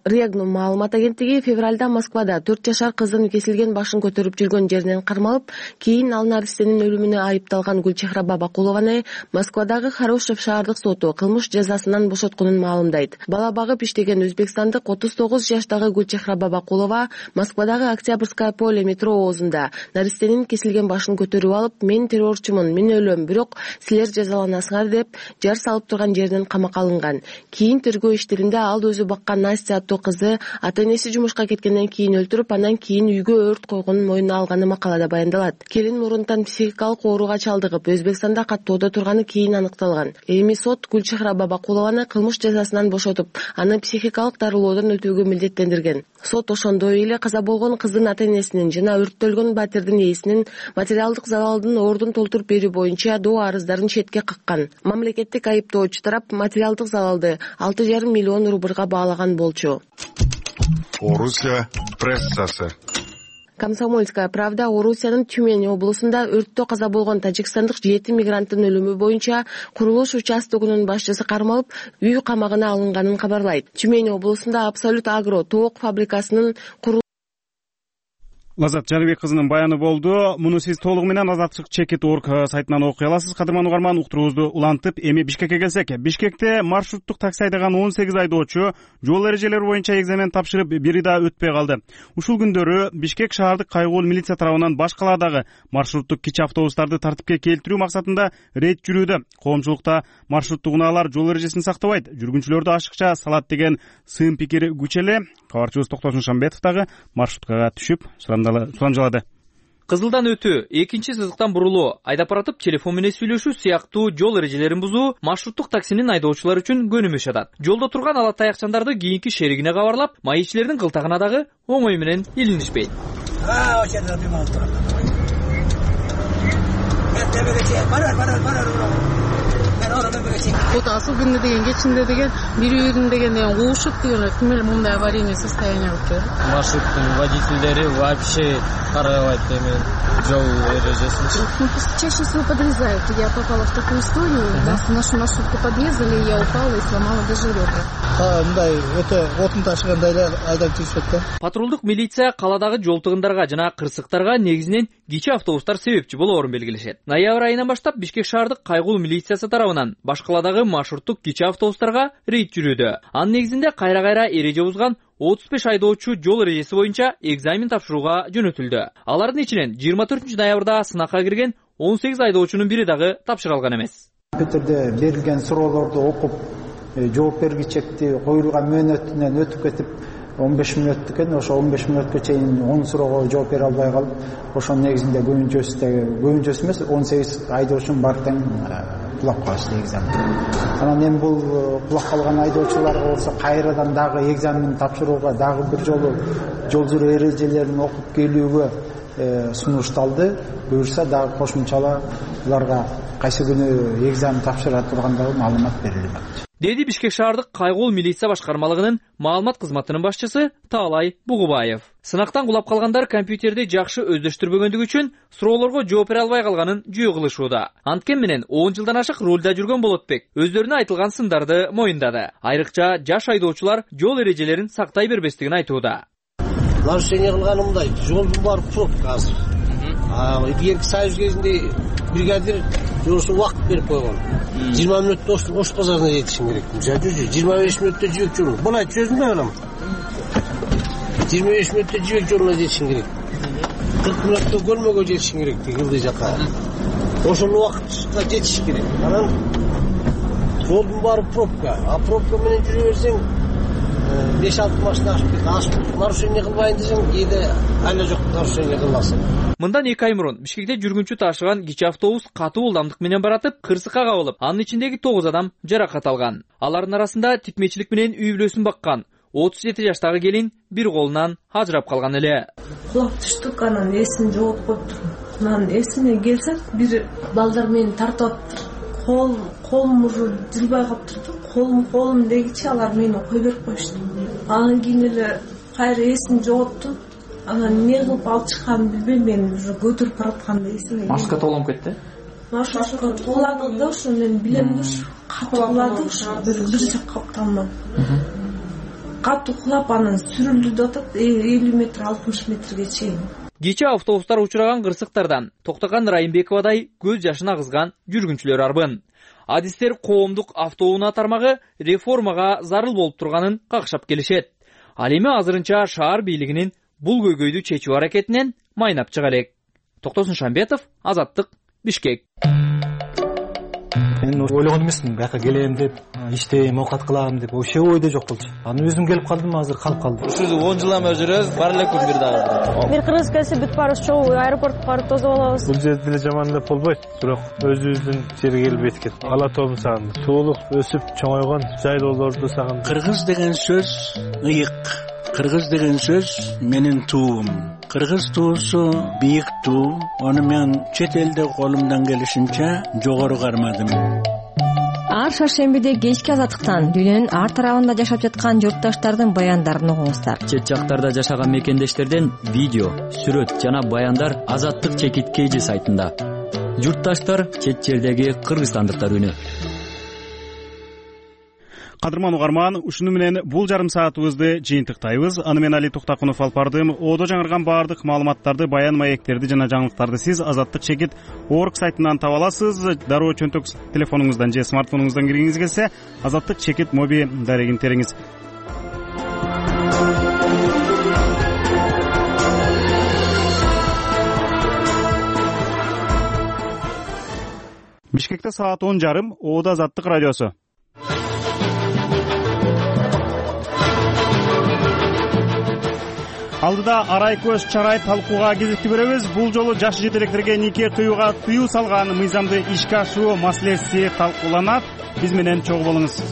Регнум маалымат агенттиги февралда Москвада 4 жашар кыздын кесилген башын көтөрүп жүргөн жеринен кармалып, кийин ал наристенин өлүмүнө айыпталган Гүлчехра Бабакулованы Москвадагы Хорошев шаардык соту кылмыш жазасынан бошотконун маалымдайт. Бала багып иштеген өзбекстандык 39 жаштагы Гүлчехра Бабакулова Москвадагы Октябрьское поле метро оозунда наристенин кесилген башын көтөрүп алып, мен террорчумун, мен өлөм, бирок силер жазаланасыңар деп жар салып турган жеринен камакка алынган. Кийин тергөө иштеринде ал өзү баккан Настя кызы ата-энеси жумушка кеткенден кийин өлтүрүп, анан кийин үйгө өрт койгонун мойнуна алганы макалада баяндалат. Келин мурунтан психикалык ооруга чалдыгып, Өзбекстанда каттоодо турганы кийин аныкталган. Эми сот Гүлчехра Бабакулованы кылмыш жазасынан бошотуп, аны психикалык дарылоодон өтүүгө милдеттендирген. Сот ошондой эле каза болгон кыздын ата-энесинин жана өрттөлгөн батирдин ээсинин материалдык залалдын ордун толтуруп берүү боюнча доо арыздарын четке каккан. Мамлекеттик айыптоочу тарап материалдык залалды 6,5 миллион рубльга баалаган болчу. Орусия прессасы. Комсомольская правда Орусиянын Тюмень облусунда өрттө каза болгон тажикстандык 7 мигранттын өлүмү боюнча курулуш участогунун башчысы кармалып, үй камагына алынганын кабарлайт. Тюмень облусунда Абсолют Агро тоок фабрикасынын Лазат Жаныбек кызынын баяны болду. Муну сиз толугу менен azatчыk.org сайтынан окуй аласыз. Кадырман угарман, уктуруубузду улантып, эми Бишкекке келсек. Бишкекте маршруттук такси айдаган 18 айдоочу жол эрежелери боюнча экзамен тапшырып, бири да өтпөй калды. Ушул күндөрү Бишкек шаардык кайгуул милиция тарабынан баш калаадагы маршруттук кичи автобустарды тартипке келтирүү максатында рейд жүрүүдө. Коомчулукта маршруттук унаалар жол эрежесин сактабайт, жүргүнчүлөрдү ашыкча салат деген сын пикир күч эле. Кабарчыбыз Токтосун Шамбетов дагы маршруткага түшүп сурамжалады. Кызылдан өтүү, экинчи сызыктан бурулуу, айдап баратып телефон менен сүйлөшүү сыяктуу жол эрежелерин бузуу маршруттук таксинин айдоочулары үчүн көнүмүш атат. Жолдо турган ала таякчандарды кийинки шеригине кабарлап, маекчилердин кылтагына дагы оңой менен илинишпейт. Вот асыл күндө деген кечинде деген бири бирин деген куушуп деген ким эле мындай аварийный состояние алып келет. Маршруттун водительдери вообще карабайт эми жол эрежесин. Чаще всего подрезают. Я попала в такую историю. Нашу маршрутку подрезали, я упала и сломала даже ребра. Мындай өтө отун ташыгандай эле айдап жүрүшөт да. Патрулдук милиция каладагы жол тыгындарга жана кырсыктарга негизинен кичи автобустар себепчи болоорун белгилешет. Ноябрь айынан баштап Бишкек шаардык кайгуул милициясы тарабынан баш каладагы маршруттук кичи автобустарга рейд жүрүүдө. Анын негизинде кайра-кайра эреже бузган 35 айдоочу жол эрежеси боюнча экзамен тапшырууга жөнөтүлдү. Алардын ичинен 24 ноябрда сынакка кирген 18 айдоочунун бири дагы тапшыра алган эмес. Компьютерде берилген суроолорду окуп, жооп бергичекти коюлган мөөнөтүнөн өтүп кетип 15 мүнөт экен, ошо 15 мүнөткө чейин 10 суроого жооп бере албай калып, ошонун негизинде көбүнчөсү эмес 18 айдоочунун баары тең кулап калышты экзамен. Анан эми бул кулап калган айдоочуларга болсо кайрадан дагы экзамен тапшырууга дагы бир жолу жол жүрүү эрежелерин окуп келүүгө сунушталды. Буюрса дагы кошумчала буларга кайсы күнү экзамен тапшыра тургандыгы маалымат берилмек. Деди Бишкек шаардык кайгуул милиция башкармалыгынын маалымат кызматынын башчысы Таалай Бугубаев. Сынактан кулап калгандар компьютерди жакшы өздөштүрбөгөндүгү үчүн суроолорго жооп бере албай калганын жүйө кылышууда. Анткени менен 10 жылдан ашык рулда жүргөн Болотбек өздөрүнө айтылган сындарды моюндады. Айрыкча жаш айдоочулар жол эрежелерин сактай бербестигин айтууда. Нарушение кылганымдай, жолдун баары пробка азыр. Биринки союз кезинде бригадир жолсу убакыт берип койгон. 20 мүнөттө Ош базарына жетишим керек. 25 мүнөттө жибек жолу. Буну чөзүм да анам. 25 мүнөттө жибек жолуна жетишим керек. 40 мүнөттө көлмөгө жетишим керек Кылдый жака. Ошол убакытка жетиш керек. Анан жолдун баары пробка. Пробка менен жүрө берсең 5-6 машина ашып нарушение кылбайын десең, кээде айла жок нарушение кыласың. Мындан 2 ай мурун Бишкекте жүргүнчү ташыган кичи автобус катуу ылдамдык менен баратып, кырсыкка кабылып, анын ичиндеги 9 адам жаракат алган. Алардын арасында типмечилик менен үй бүлөсүн баккан 37 жаштагы келин бир колунан ажырап калган эле. Кулап түштүк, анан эсин жооп коюптур. Анан эсине келсем, бир балдар мени тартып атыптыр. Колум уже жылбай калыптыр. Колум дегичи алар мени кой берип коюшту. Анан кийин эле кайра эсин жоготтум. Анан эмне кылып алып чыкканын билбейм, мен уже көтөрүп баратканда эсиме. Маршрутка толгонуп кетти. Маршрутка толгондо да ошо мен билем да катуу кулады, бир жакка капталмам. Катуу кулап анан сүрүлдү деп атат, 50 метр 60 метрге чейин. Кечээ автобустар учураган кырсыктардан Токтоган Райымбековадай көз жашын агызган жүргүнчүлөр арбын. Адистер коомдук автоунаа тармагы реформага зарыл болуп турганын какшап келишет. Ал эми азырынча шаар бийлигинин бул көйгөйдү чечүү аракетинен майнап чыга элек. Токтосун Шамбетов, Азаттык, Бишкек. Мен ойлогон эмесмин, бияка келем деп, иштейм, оокат кылам деп, вообще ойдо жок болчу. Аны өзүм келип калдым, азыр калып калдым. Ушул 10 жылдан бери жүрөбүз, бар эле күн бир дагы. Бир кыргыз келсе бүт барыбыз чогуу аэропортко барып тосуп алабыз. Бул жерде деле жаман деп болбойт, бирок өзүбүздүн жерге келип эткет. Ала тообун сагындым. Суулук өсүп чоңойгон жайлоолорду сагындым. Кыргыз деген сөз ыйык. Кыргыз деген сөз менин туум. Кыргыз туусу бийик туу. Аны мен чет элде колумдан келишинче жогору кармадым. Ар шаршембиде кечки азаттыктан дүйнөнүн ар тарабында жашап жаткан журтташтардын баяндарын угуңуздар. Чет жактарда жашаган мекендештерден видео, сүрөт жана баяндар Азаттык чекит KG сайтында. Журтташтар чет жердеги кыргызстандыктар үнү. Кадырман угарман, ушуну менен бул жарым саатыбызды жыйынтыктайбыз. Аны мен Али Токтакунов алып бардым. Одо жаңырган баардык маалыматтарды, баян маектерди жана жаңылыктарды сиз Азаттык чекит org сайтынан таба аласыз. Дароо чөнтөк телефонуңуздан же смартфонуңуздан киргиңиз келсе, Азаттык чекит моби дарегин териңиз. Бишкекте саат 10:30, Оодо Азаттык радиосу. Алдыда арай көз чарай талкууга кезекти беребиз. Бул жолу жаш жетелектерге нике кыюуга тыюу салган мыйзамды ишке ашыруу маселеси талкууланат. Биз менен чогуу болуңуз.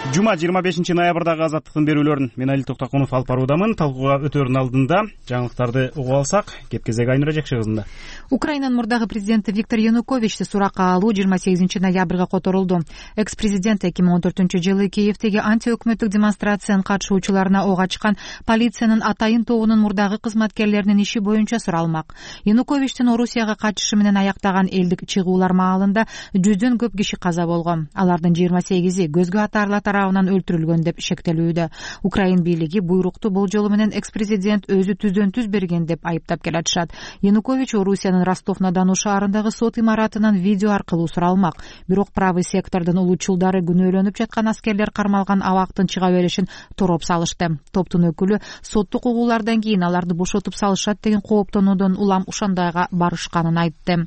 Жума 25 ноябрдагы Азаттыктын берүүлөрүн мен Али Токтакунов алып баруудамын. Талкууга өтөөрүнүн алдында жаңылыктарды угуп алсак, кеп-кезек Айнура Жекши кызында. Украинанын мурдагы президенти Виктор Януковичти суракка алуу 28 ноябрга которулду. Экс-президент 2014-жылы Киевдеги антиөкмөттүк демонстрациянын катышуучуларына ок ачкан полициянын атайын тобунун мурдагы кызматкерлеринин иши боюнча суралмак. Януковичтин Орусияга качышы менен аяктаган элдик чыгуулар маалында 100дөн көп киши каза болгон. Алардын 28и көзгө атаарлар тарабынан өлтүрүлгөн деп шектелүүдө. Украин бийлиги буйрукту бул жолу менен экс-президент өзү түздөн-түз берген деп айыптап келатышат. Янукович Орусиянын Ростов-на-Дону шаарындагы сот имаратынан видео аркылуу суралмак. Бирок правый сектордун улуучулдары күнөөлөнүп жаткан аскерлер кармалган абактын чыга беришин тороп салышты. Топтун өкүлү соттук угуулардан кийин аларды бошотуп салышат деген кооптонуудон улам ушандайга барышканын айтты.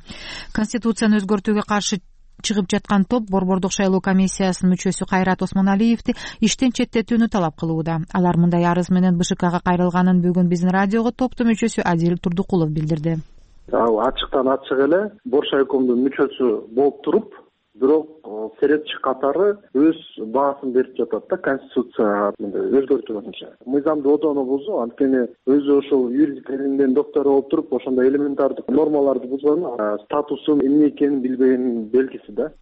Конституцияны өзгөртүүгө каршы чыгып жаткан топ Борбордук шайлоо комиссиясынын мүчөсү Кайрат Осмоналиевди иштен четтетүүнү талап кылууда. Алар мындай арыз менен БШКга кайрылганын бүгүн биздин радиого топтун мүчөсү Адил Турдукулов билдирди. Ачыктан ачык эле Боршайкомдун мүчөсү болуп туруп, бирок серепчи катары өз баасын берип жатат да конституция өзгөртүү боюнча. Мыйзамды одоно бузуу, анткени өзү ошол юридик илимдин доктору болуп туруп, ошондой элементардык нормаларды бузган, статусун эмне экенин билбегенин белгиси да.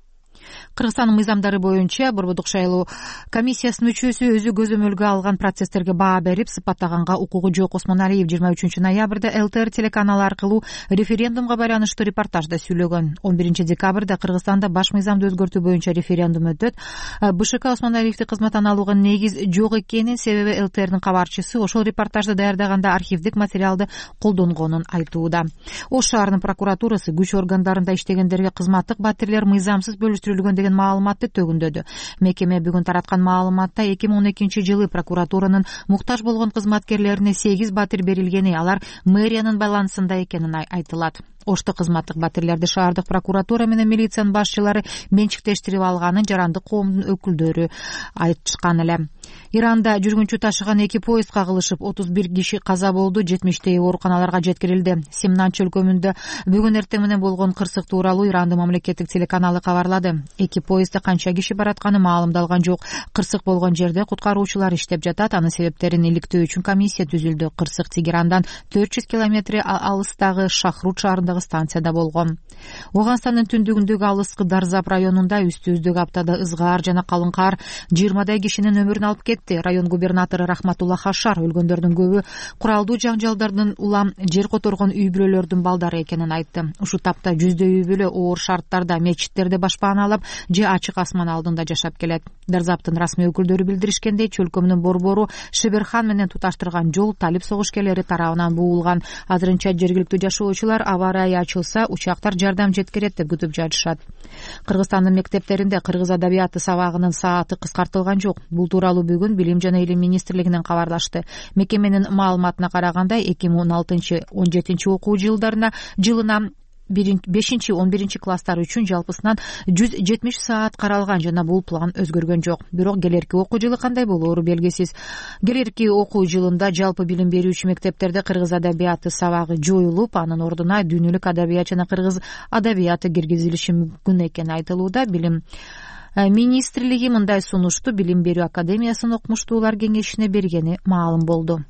Кыргызстандын мыйзамдары боюнча Борбордук шайлоо комиссиясынын мүчөсү өзү көзөмөлгө алган процесстерге баа берип сыпаттаганга укугу жок. Осмоналиев 23 ноябрда ЛТР телеканалы аркылуу референдумга байланыштуу репортажда сүйлөгөн. 11 декабрда Кыргызстанда баш мыйзамды өзгөртүү боюнча референдум өтөт. БШК Осмоналиевди кызматтан алууга негиз жок экенин, себеби ЛТРдин кабарчысы ошол репортажды даярдаганда архивдик материалды колдонгонун айтууда. Ош шаарынын прокуратурасы күч органдарында иштегендерге кызматтык батирлер мыйзамсыз бөлүштүрүлгөн деген маалыматты төгүндөдү. Мекеме бүгүн тараткан маалыматта 2012-жылы прокуратуранын муктаж болгон кызматкерлерине 8 батир берилгени, алар мэриянын байланысында экенин айтылат. Ошто кызматтык батирлерди шаардык прокуратура менен милициянын башчылары менчиктештирип алганын жарандык коомдун өкүлдөрү айтышкан эле. Иранда жүргүнчү ташыган 2 поезд кагылышып 31 киши каза болду, 70 ооруканаларга жеткирилди. Семнанч өлкөмүндө бүгүн эртең менен болгон кырсык тууралуу Ирандын мамлекеттик телеканалы кабарлады. 2 поездде канча киши баратканы маалымдалган жок. Кырсык болгон жерде куткаруучулар иштеп жатат. Анын себептерин иликтөө үчүн комиссия түзүлдү. Кырсык Тегерандан 400 километр алыстагы Шахрут шаарындагы станцияда болгон. Оганстандын түндүгүндөгү алыскы Дарзап районунда үстүбүздөгү аптада ызгаар жана калың кар 20 кишинин өмүрүн алып кетти. Район губернатору Рахматулла Хашар өлгөндөрдүн көбү куралдуу жаңжалдардан улам жер которгон үй бүлөлөрдүн балдары экенин айтты. Ушу тапта 100 үй бүлө оор шарттарда мечиттерде башпаналап же ачык асман алдында жашап келет. Дарзаптын расмий өкүлдөрү билдиришкендей, чөлкөмүнүн борбору Шеберхан менен туташтырган жол талип согушкерлери тарабынан буулган. Азырынча жергиликтүү жашоочулар аба ырайы ачылса учактар жардам жеткирет деп күтүп жатышат. Кыргызстандын мектептеринде кыргыз адабияты сабагынын сааты кыскартылган жок. Бул тууралуу бүгүн Билим жана Илим министрлигинен кабарлашты. Мекеменин маалыматына караганда 2016-17 окуу жылына 5-11 класстар үчүн жалпысынан 170 саат каралган жана бул план өзгөргөн жок. Бирок келерки окуу жылы кандай болоору белгисиз. Келерки окуу жылында жалпы билим берүүчү мектептерде кыргыз адабияты сабагы жоюлуп, анын ордуна дүйнөлүк адабият жана кыргыз адабияты киргизилиши мүмкүн экени айтылууда. Билим министрлиги мындай сунушту Билим берүү академиясынын окумуштуулар кеңешине бергени маалым болду.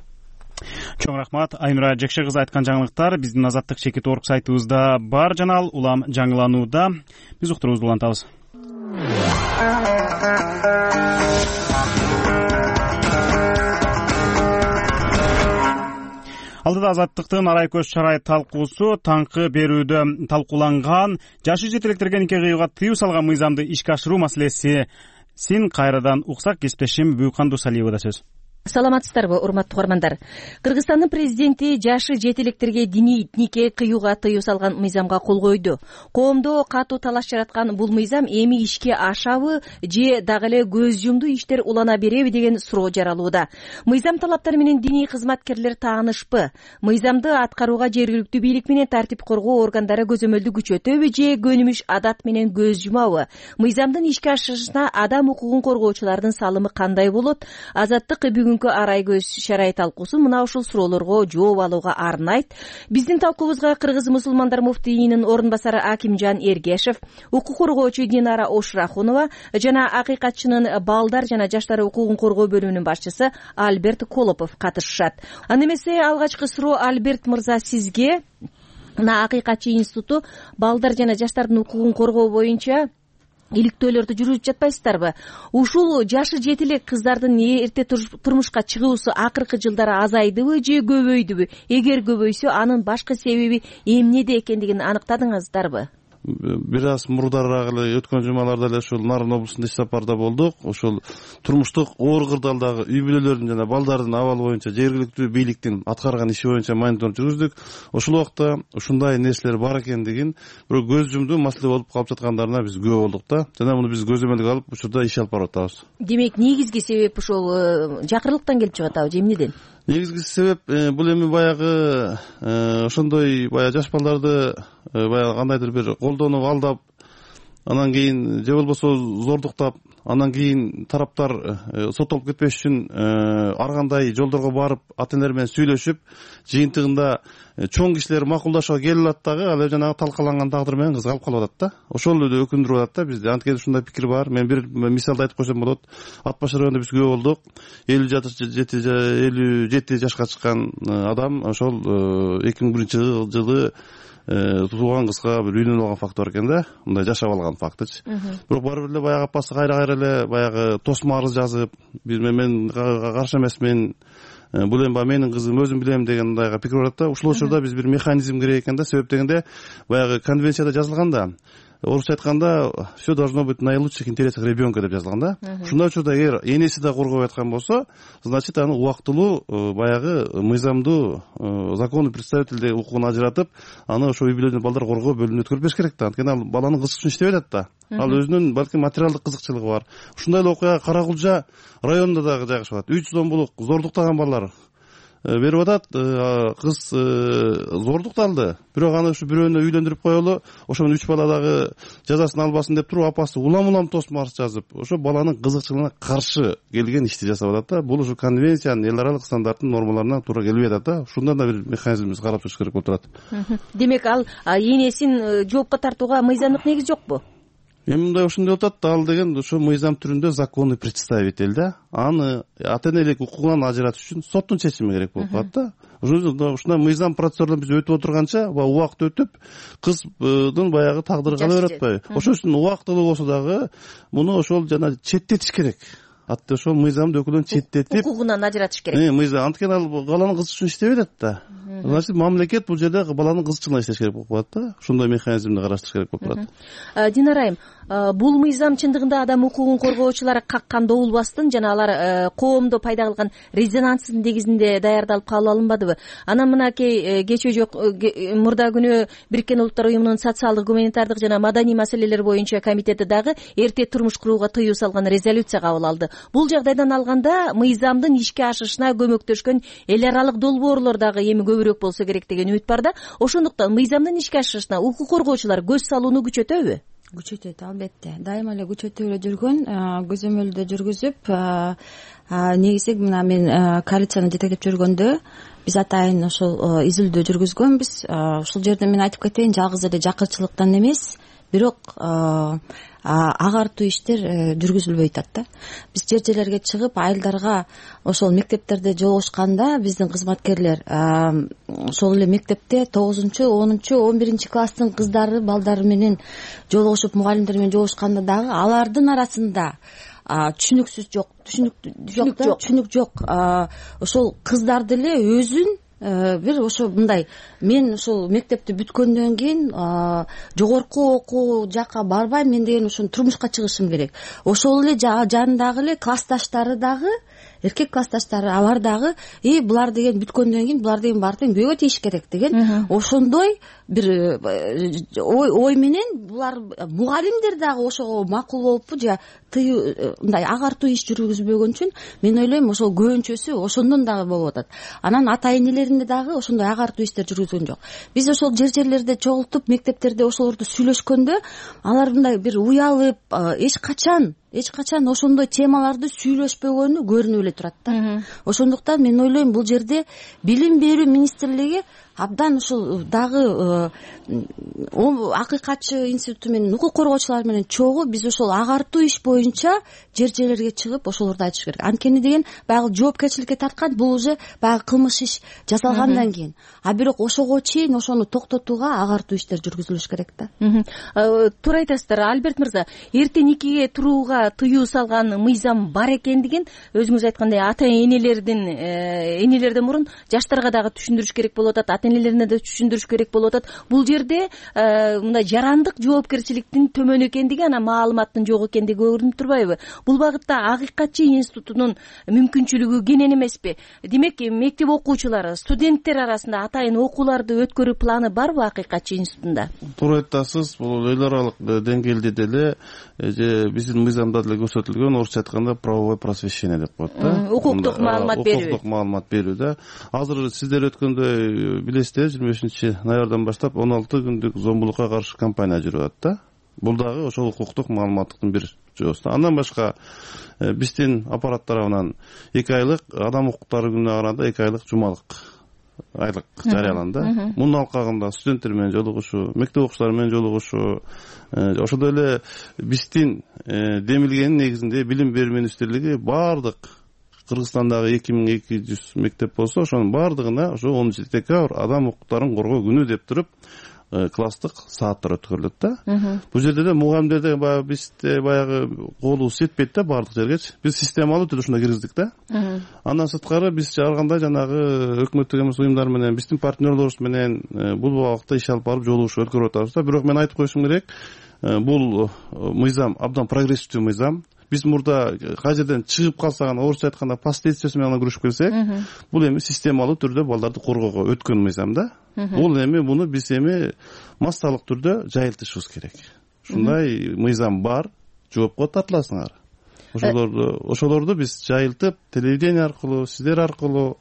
Чоң рахмат. Айнура Жекше кызы айткан жаңылыктар биздин Азаттык чекит орг сайтыбызда бар жана ал улам жаңыланууда. Биз уктуруубузду улантабыз. Алдыда Азаттыктын арай көз чарай талкуусу таңкы берүүдө талкууланган жашы жетелектерге нике кыюуга тыюу салган мыйзамды ишке ашыруу маселесин кайрадан уксак. Кесиптешим Бүйкан Дусалиевада сөз. Саламатсыздарбы, урматтуу угармандар. Кыргызстандын президенти жашы жетелектерге диний нике кыюуга тыюу салган мыйзамга кол койду. Коомдо катуу талаш жараткан бул мыйзам эми ишке ашабы же дагы эле көз жумду иштер улана береби деген суроо жаралууда. Мыйзам талаптары менен диний кызматкерлер таанышпы? Мыйзамды аткарууга жергиликтүү бийлик менен тартип коргоо органдары көзөмөлдү күчөтөбү же көнүмүш адат менен көз жумабы? Мыйзамдын ишке ашырышына адам укугун коргоочулардын салымы кандай болот? Азаттык бүгүнкү арай көз чарай талкуусу мына ушул суроолорго жооп алууга арнайт. Биздин талкуубузга Кыргыз мусулмандар муфтийинин орун басары Акимжан Эргешев, укук коргоочу Динара Ошрахунова жана акыйкатчынын балдар жана жаштар укугун коргоо бөлүмүнүн башчысы Альберт Колопов катышышат. Аны эмесе алгачкы суроо Альберт мырза сизге. Мына акыйкатчы институту балдар жана жаштардын укугун коргоо боюнча иликтөөлөрдү жүргүзүп жатпайсыздарбы? Ушул жашы жетелек кыздардын эрте турмушка чыгуусу акыркы жылдары азайдыбы же көбөйдүбү? Эгер көбөйсө, анын башкы себеби эмнеде экендигин аныктадыңыздарбы? Бир аз мурдараак эле өткөн жумаларда эле ушул Нарын облусунда иш сапарда болдук. Ошол турмуштук оор кырдаалдагы үй бүлөлөрдүн жана балдардын абалы боюнча жергиликтүү бийликтин аткарган иши боюнча мониторинг жүргүздүк. Ошол убакта ушундай нерселер бар экендигин, бирок көз жумду маселе болуп калып жаткандарына биз күбө болдук да. Жана муну биз көзөмөлгө алып учурда иш алып барып атабыз. Демек, негизги себеп ушул жакырлыктан келип чыгат абы же эмнеден? Негизги себеп бул эми баягы ошондой баягы жаш балдарды баягы кандайдыр бир колдонуп алдап, анан кийин же болбосо зордуктап, анан кийин тараптар соттолуп кетпеш үчүн ар кандай жолдорго барып ата энелер менен сүйлөшүп, жыйынтыгында чоң кишилер макулдашууга келип алат дагы, ал жанагы талкаланган тагдыр менен кыз калып калып атат да. Ошол эле өкүндүрүп атат да бизди. Анткени ушундай пикир бар. Мен бир мисалды айтып койсом болот. Ат башыр районунда биз күбө болдук. 57 жашка чыккан адам ошол 2001-жылы тууган кызга бир үйлөнүп алган факты бар экен да. Мындай жашап алган фактычы. Бирок баары бир эле баягы апасы кайра эле баягы тосмо арыз жазып, мен каршы эмесмин, бул эми менин кызым, өзүм билем деген мындайга пикир бар да. Ушул учурда биз бир механизм керек экен да. Себеп дегенде баягы конвенцияда жазылган да. Орусча айтканда все должно быть в наилучших интересах ребенка деп жазылган да. Ушундай учурда эгер энеси да коргобой аткан болсо, значит аны убактылуу баягы мыйзамдуу законный представитель укугун ажыратып, аны ошо үй бүлөдөн балдар коргоо бөлүмүнө өткөрүп бериш керек да. Анткени ал баланын кызык үчүн иштеп атат да. Ал өзүнүн балким материалдык кызыкчылыгы бар. Ушундай эле окуя Каракулжа районунда дагы жайгашып атат. 3 сомбулук зордуктаган балдар берип атат. Кыз зордукталды. Бирок аны ушу бирөөнө үйлөндүрүп коелу, ошо менен 3 бала дагы жазасын албасын деп туруп, апасы улам тосмо арыз жазып, ошо баланын кызыкчылыгына каршы келген ишти жасап атат да. Бул ушу конвенциянын эл аралык стандарттын нормаларына туура келбей атат да. Ушундан да бир механизмибиз карап чыгыш керек болуп турат. Демек, ал энесин жоопко тартууга мыйзамдык негиз жокпу? Эми мындай ушундай атат, ал деген ошо мыйзам түрүндө законный представитель да. Аны ата энелик укугунан ажыратыш үчүн соттун чечими керек болуп калат да. Ушундай мыйзам процедураларын биз өтүп отурганча, убакыт өтүп, кыздын баягы тагдыры кала берет атпайбы? Ошол үчүн убактылуу болсо дагы муну ошол жана четтетиш керек. Ошол мыйзамды өкүлдөн четтетип, укугунан ажыратыш керек. Мыйзам анткени ал баланын кызык үчүн иштебей атат да. Значит, мамлекет бул жерде баланын кызыкчылыгына иштеш керек болуп калат да. Ушундай механизмди караштырыш керек болуп турат. Динарайым, бул мыйзам чындыгында адам укугун коргоочулар каккан добулбастын жана алар коомдо пайда кылган резонанстын негизинде даярдалып кабыл алынбадыбы? Анан мынакей кече жок мурда күнү Бириккен Улуттар уюмунун социалдык, гуманитардык жана маданий маселелер боюнча комитети дагы эрте турмуш курууга тыюу салган резолюция кабыл алды. Бул жагдайдан алганда мыйзамдын ишке ашышына көмөктөшкөн эл аралык долбоорлор дагы эми көбүрөөк болсо керек деген үмүт бар да. Ошондуктан мыйзамдын ишке ашышына укук коргоочулар көз салууну күчөтөбү? Күчөтөт, албетте. Дайыма эле күчөтүп эле жүргөн, көзөмөлдө жүргүзүп, негизи мына мен коалицияны жетектеп жүргөндө биз атайын ошол изилдөө жүргүзгөнбүз. Ушул жерде мен айтып кетейин, жалгыз эле жакырчылыктан эмес, бирок агартуу иштер жүргүзүлбөй атат да. Биз жер жерлерге чыгып айылдарга ошол мектептерде жолугушканда биздин кызматкерлер ошол эле мектепте 9-10, 11 класстын кыздары балдары менен жолугушуп, мугалимдер менен жолугушканда дагы алардын арасында түшүнүк жок. Ошол кыздар деле өзүн бир ошо мындай, мен ошол мектепти бүткөндөн кийин жогорку окуу жакка барбайм, мен деген ошону турмушка чыгышым керек. Ошол эле жанындагы эле классташтары дагы, эркек классташтары, алар дагы булар деген бүткөндөн кийин булар деген барып күйгө тийиш керек деген ошондой бир ой менен булар мугалимдер дагы ошого макул болуппу же мындай агартуу иш жүргүзбөгөн үчүн мен ойлойм ошол көбүнчөсү ошондон дагы болуп атат. Анан ата энелеринде дагы ошондой агартуу иштер жүргүзгөн жок. Биз ошол жерлерде чогултуп, мектептерде ошолорду сүйлөшкөндө алар мындай бир уялып, эч качан ошондой темаларды сүйлөшпөгөнү көрүнүп эле турат да. Ошондуктан мен ойлойм бул жерде билим берүү министрлиги абдан ушул дагы акыйкатчы институту менен укук коргоочулар менен чогуу биз ошол агартуу иш боюнча жер жерлерге чыгып ошолорду айтыш керек. Анткени деген баягы жоопкерчиликке тарткан бул уже баягы кылмыш иш жасалгандан кийин. Бирок ошого чейин ошону токтотууга агартуу иштер жүргүзүлүш керек да. Туура айтасыздар, Альберт мырза. Эрте никеге турууга тыюу салган мыйзам бар экендигин өзүңүз айткандай ата энелерден мурун жаштарга дагы түшүндүрүш керек болуп атат, ата энелерине да түшүндүрүш керек болуп атат. Бул жерде мындай жарандык жоопкерчиликтин төмөн экендиги, анан маалыматтын жок экендиги көрүнүп турбайбы? Бул багытта акыйкатчы институтунун мүмкүнчүлүгү кенен эмеспи? Демек, мектеп окуучулары, студенттер арасында атайын окууларды өткөрүү планы барбы акыйкатчы институтунда? Туура айтасыз. Бул эл аралык деңгээлде деле же биздин мыйзамда деле көрсөтүлгөн, орусча айтканда правовое просвещение деп коет да. Укуктук маалымат берүү. Укуктук маалымат берүү да. Азыр сиздер өткөндө билесиздер, 25-ноябрдан баштап 16 күндүк зомбулукка каршы кампания жүрүп атат да. Бул дагы ошол укуктук маалыматтыктын бир жобосу. Андан башка биздин аппарат тарабынан 2 айлык адам укуктары күнүнө караганда 2 айлык жумалык айлык жарыяланды. Мунун алкагында студенттер менен жолугушуу, мектеп окуучулары менен жолугушуу, ошондой эле биздин демилгенин негизинде билим берүү министрлиги баардык Кыргызстандагы 2200 мектеп болсо, ошонун баардыгына ошо 10 декабрь адам укуктарын коргоо күнү деп туруп класстык сааттар өткөрүлөт да. Бул жерде да мугалимдерде бизде баягы колубуз жетпейт да баардык жергечи. Биз системалуу түрдө ушундай киргиздик да. Андан сырткары биз ар кандай жанагы өкмөттүк эмес уюмдар менен, биздин партнерлорубуз менен бул убакытта иш алып барып жолугушуу өткөрүп атабыз да. Бирок мен айтып коюшум керек, бул мыйзам абдан прогрессивдүү мыйзам. Биз мурда кай жерден чыгып калсак, орусча айтканда последствиясы менен күрөшүп келсек, бул эми системалуу түрдө балдарды коргоого өткөн мыйзам да. Бул эми муну биз эми массалык түрдө жайылтышыбыз керек. Ушундай мыйзам бар, жоопко тартыласыңар. Ошолорду биз жайылтып, телевидение аркылуу, сиздер аркылуу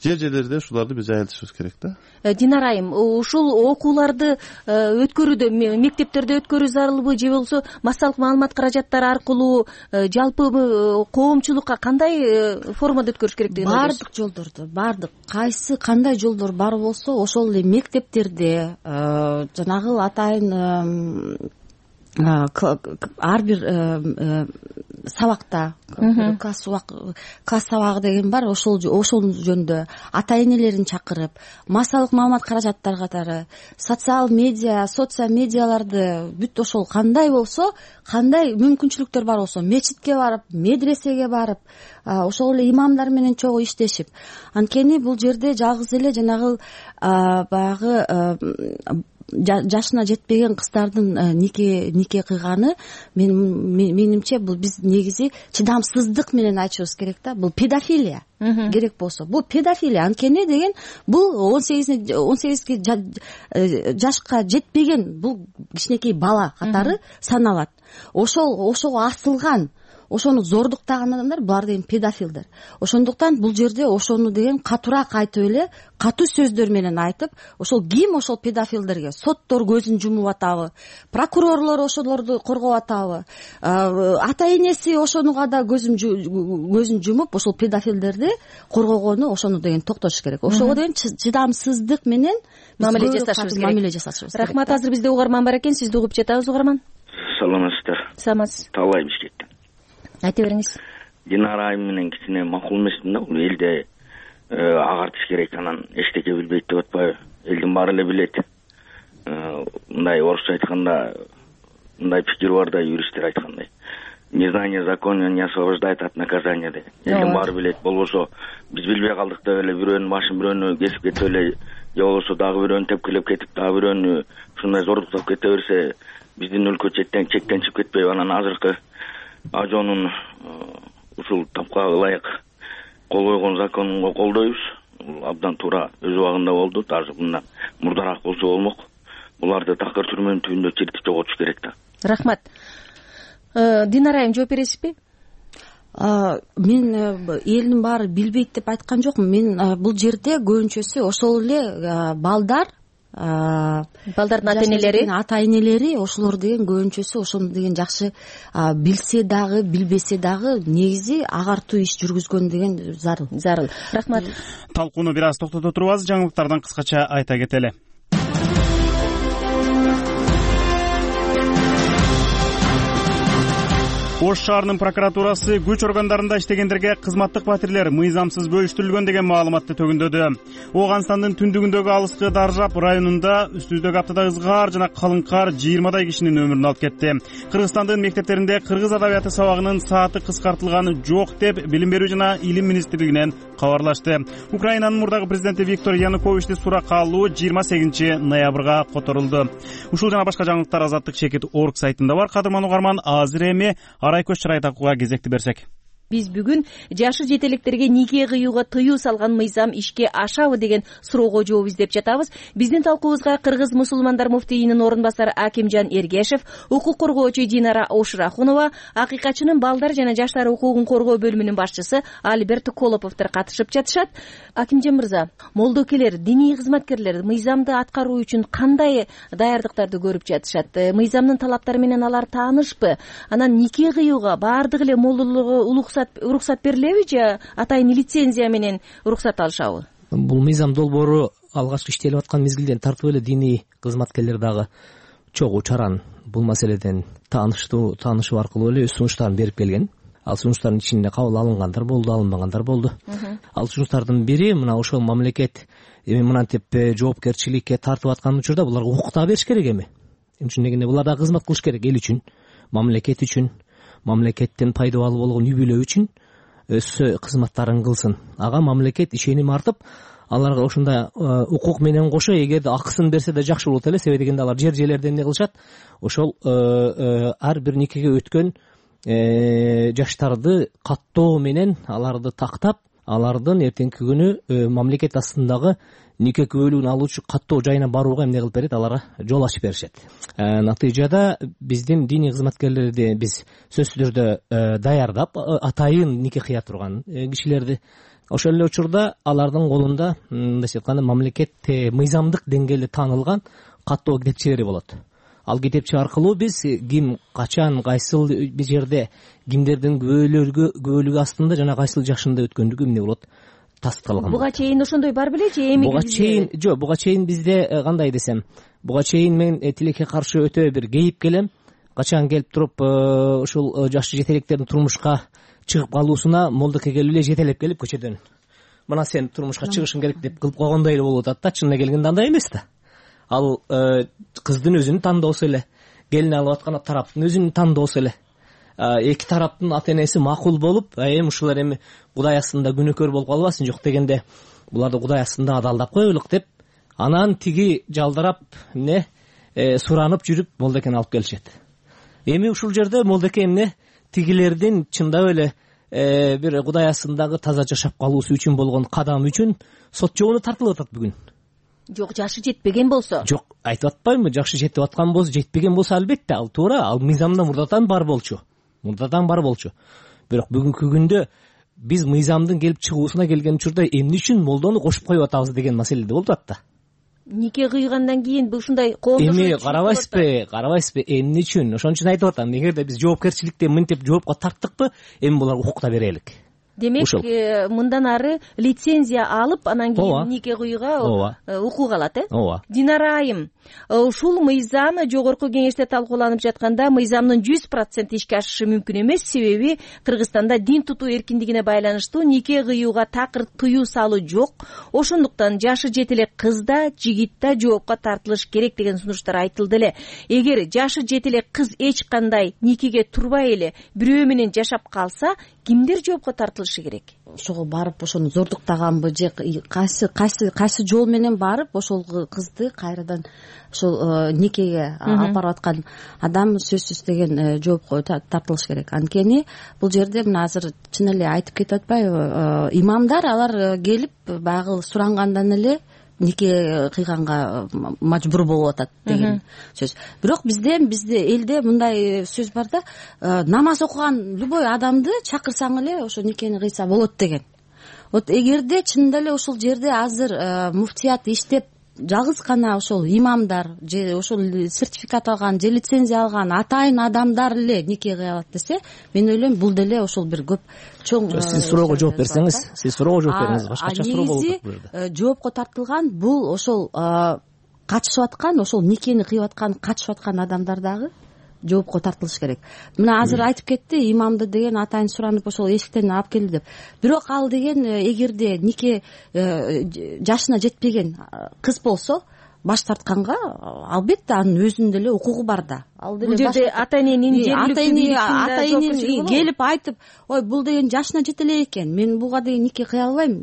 жер жерлерде ушуларды биз жайылтышыбыз керек да. Динара айым, ушул окууларды өткөрүүдө мектептерде өткөрүү зарылбы же болбосо массалык маалымат каражаттары аркылуу жалпы коомчулукка кандай формада өткөрүш керек деген ойдосуз? Бардык жолдорду, кайсы кандай жолдор бар болсо ошол эле мектептерде жанагы атайын ар бир сабакта класс сабагы деген бар, ошол жөнүндө ата энелерин чакырып, массалык маалымат каражаттары катары, социал медиаларды бүт ошол кандай болсо, кандай мүмкүнчүлүктөр бар болсо, мечитке барып, медресеге барып, ошол эле имамдар менен чогуу иштешип. Анткени бул жерде жалгыз эле жанагы баягы жашына жетпеген кыздардын нике кыйганы менимче бул биз негизи чыдамсыздык менен айтышыбыз керек да. Бул педофилия керек болсо. Бул педофилия. Анткени деген бул 18 жашка жетпеген бул кичинекей бала катары саналат. Ошого асылган ошону зордуктаган адамдар булар деген педофилдер. Ошондуктан бул жерде ошону деген катуураак айтып эле, катуу сөздөр менен айтып, ошол ким ошол педофилдерге соттор көзүн жумуп атабы, прокурорлор ошолорду коргоп атабы, ата энеси ошонуга да көзүн жумуп ошол педофилдерди коргогону, ошону деген токтотуш керек. Ошого деген чыдамсыздык менен мамиле жасашыбыз керек. Рахмат. Азыр бизде угарман бар экен, сизди угуп жатабыз, угарман. Саламатсыздар. Саламатсыз. Талай бишкеттен. Айта бериңиз. Динара айым менен кичине макул эмесмин да, бул элде агартыш керек, анан эчтеке билбейт деп атпайбы? Элдин баары эле билет. Мындай орусча айтканда мындай пикир бар да, юристтер айткандай. Незнание закона не освобождает от наказания деген. Элдин баары билет. Болбосо биз билбей калдык деп эле бирөөнүн башын бирөөнү кесип кетип эле, же болбосо дагы бирөөнү тепкилеп кетип, дагы бирөөнү ушундай зордуктап кете берсе, биздин өлкө чектен чип кетпейби? Анан азыркы ажонун ушул тапкага ылайык кол койгон законго колдойбуз. Бул абдан туура, өз убагында болду, даже мындан мурдараак болсо болмок. Буларды такыр түрмөнүн түбүндө чиртип жоготуш керек да. Рахмат. Динара айым, жооп бересизби? Мен элдин баары билбейт деп айткан жокмун. Мен бул жерде көбүнчөсү ошол эле балдардын ата энелери ошолор деген көбүнчөсү ошону деген жакшы билсе дагы билбесе дагы негизи агартуу иш жүргүзгөн деген зарыл. Рахмат. Талкууну бир аз токтото турбайбыз, жаңылыктардан кыскача айта кетели. Ош шаарынын прокуратурасы күч органдарында иштегендерге кызматтык батирлер мыйзамсыз бөлүштүрүлгөн деген маалыматты төгүндөдү. Оганстандын түндүгүндөгү алыскы Даржап районунда үстүздөгү аптада ызгаар жана калың кар 20 кишинин өмүрүн алып кетти. Кыргызстандын мектептеринде кыргыз адабияты сабагынын сааты кыскартылганы жок деп Билим берүү жана Илим министрлигинен кабарлашты. Украинанын мурдагы президенти Виктор Януковичти суракка алуу 28 ноябрга которулду. Ушул жана башка жаңылыктар Азаттык чекит орг сайтында бар. Кадырман угарман, азыр эми Арайкөз Чырайтакууга кезекти берсек. Биз бүгүн жашы жетелектерге нике кыюуга тыюу салган мыйзам ишке ашабы деген суроого жооп издеп жатабыз. Биздин талкуубузга Кыргыз мусулмандар муфтийинин орун басары Акимжан Эргешев, укук коргоочу Динара Ошурахунова, акыйкатчынын балдар жана жаштар укугун коргоо бөлүмүнүн башчысы Альберт Колоповдор катышып жатышат. Акимжан мырза, молдокелер, диний кызматкерлер мыйзамды аткаруу үчүн кандай даярдыктарды көрүп жатышат? Мыйзамдын талаптары менен алар таанышпы? Анан нике кыюуга баардык эле молдолорго уруксат берилеби же атайын лицензия менен уруксат алышабы? Бул мыйзам долбоору алгачкы иштелип аткан мезгилден тартып эле диний кызматкерлер дагы чогуу чаран бул маселеден таанышуу аркылуу эле өз сунуштарын берип келген. Ал сунуштардын ичинде кабыл алынгандар болду, алынбагандар болду. Ал сунуштардын бири мына ошол мамлекет эми мынантип жоопкерчиликке тартып аткан учурда буларга укук да бериш керек эми. Эмне үчүн дегенде булар да кызмат кылыш керек эл үчүн, мамлекет үчүн, мамлекеттен пайдалуу болгон үй бүлө үчүн өз кызматтарын кылсын. Ага мамлекет ишеним артып, аларга ушундай укук менен кошо эгерде акысын берсе да жакшы болот эле. Себеби дегенде алар жерлерде эмне кылышат? Ошол ар бир никеге өткөн жаштарды каттоо менен аларды тактап, алардын эртеңки күнү мамлекет астындагы нике күбөлүгүн алуучу каттоо жайына барууга эмне кылып берет? Аларга жол ачып беришет. Натыйжада биздин диний кызматкерлерди биз сөзсүз түрдө даярдап, атайын нике кыя турган кишилерди ошол эле учурда алардын колунда мындайча айтканда мамлекет мыйзамдык деңгээлде таанылган каттоо китепчелери болот. Ал китепче аркылуу биз ким качан кайсыл бир жерде кимдердин күбөлүгү астында жана кайсыл жашында өткөндүгү эмне болот тастыкталган. Буга чейин ошондой бар беле же эми? Буга чейин бизде кандай десем, буга чейин мен тилекке каршы өтө бир кейип келем. Качан келип туруп ушул жаш жетелектердин турмушка чыгып калуусуна молдоке келип эле жетелеп келип көчөдөн мына сен турмушка чыгышың керек деп кылып койгондой эле болуп атат да. Чынына келгенде андай эмес да. Ал кыздын өзүнүн тандоосу эле, келин алып аткан тараптын өзүнүн тандоосу эле. Эки тараптын ата энеси макул болуп, эми ушулар эми Кудай астында күнөөкөр болуп калбасын, жок дегенде буларды Кудай астында адалдап коелук деп, анан тиги жалдарап суранып жүрүп молдекени алып келишет. Эми ушул жерде молдеке эмне тигилердин чындап эле бир Кудай астындагы таза жашап калуусу үчүн болгон кадам үчүн сот жообуна тартылып атат бүгүн. Жок, жашы жетпеген болсо? Жок, айтып атпаймынбы, жашы жетип аткан болсо, жетпеген болсо албетте ал туура, ал мыйзамда мурдатан бар болчу. мурдадан бар болчу. Бирок бүгүнкү күндө биз мыйзамдын келип чыгуусуна келген учурда эмне үчүн молдону кошуп коюп атабыз деген маселе болуп атат да. Нике кыйгандан кийин ушундай коомдошуу эми карабайсызбы эмне үчүн? Ошон үчүн айтып атам, эгерде биз жоопкерчиликтен мынтип жоопко тарттыкпы, эми буларга укук да берелик. Демек, мындан ары лицензия алып, анан кийин нике кыюуга укук алат, ооба. Динара айым, ушул мыйзам жогорку кеңеште талкууланып жатканда мыйзамдын 100% ишке ашышы мүмкүн эмес, себеби Кыргызстанда дин тутуу эркиндигине байланыштуу нике кыюуга такыр тыюу салуу жок. Ошондуктан жашы жете эле кыз да, жигит да жоопко тартылыш керек деген сунуштар айтылды эле. Эгер жашы жете эле кыз эч кандай никеге турбай эле бирөө менен жашап калса, кимдер жоопко тартылышы керек? Ошого барып ошону зордуктаганбы же кайсы жол менен барып ошол кызды кайрадан ошол никеге алып аткан адам сөзсүз деген жоопко тартылыш керек. Анткени бул жерде мына азыр чын эле айтып кетип атпайбы, имамдар алар келип баягы сурангандан эле нике кыйганга мажбур болуп атат деген сөз. Бирок бизде элде мындай сөз бар да, намаз окуган любой адамды чакырсаң эле ошо никени кыйса болот деген. Вот эгерде чынында эле ошол жерде азыр муфтият иштеп жалгыз гана ошол имамдар же ошол сертификат алган же лицензия алган атайын адамдар эле нике кыя алат десе, мен ойлойм бул деле ошол бир көп чоң. Сиз суроого жооп берсеңиз, башкача суроо болуп атат бул жерде. Жоопко тартылган бул ошол катышып аткан, ошол никени кыйып аткан, катышып аткан адамдар дагы жоопко тартылыш керек. Мына азыр айтып кетти, имамды деген атайын суранып ошол эшиктен алып келди деп. Бирок ал деген эгерде нике жашына жетпеген кыз болсо, баш тартканга албетте анын өзүнүн деле укугу бар да. Ал деле бул жерде ата-эненин жергиликтүү келип айтып, ой, бул деген жашына жете эле экен, мен буга деген нике кыя албайм,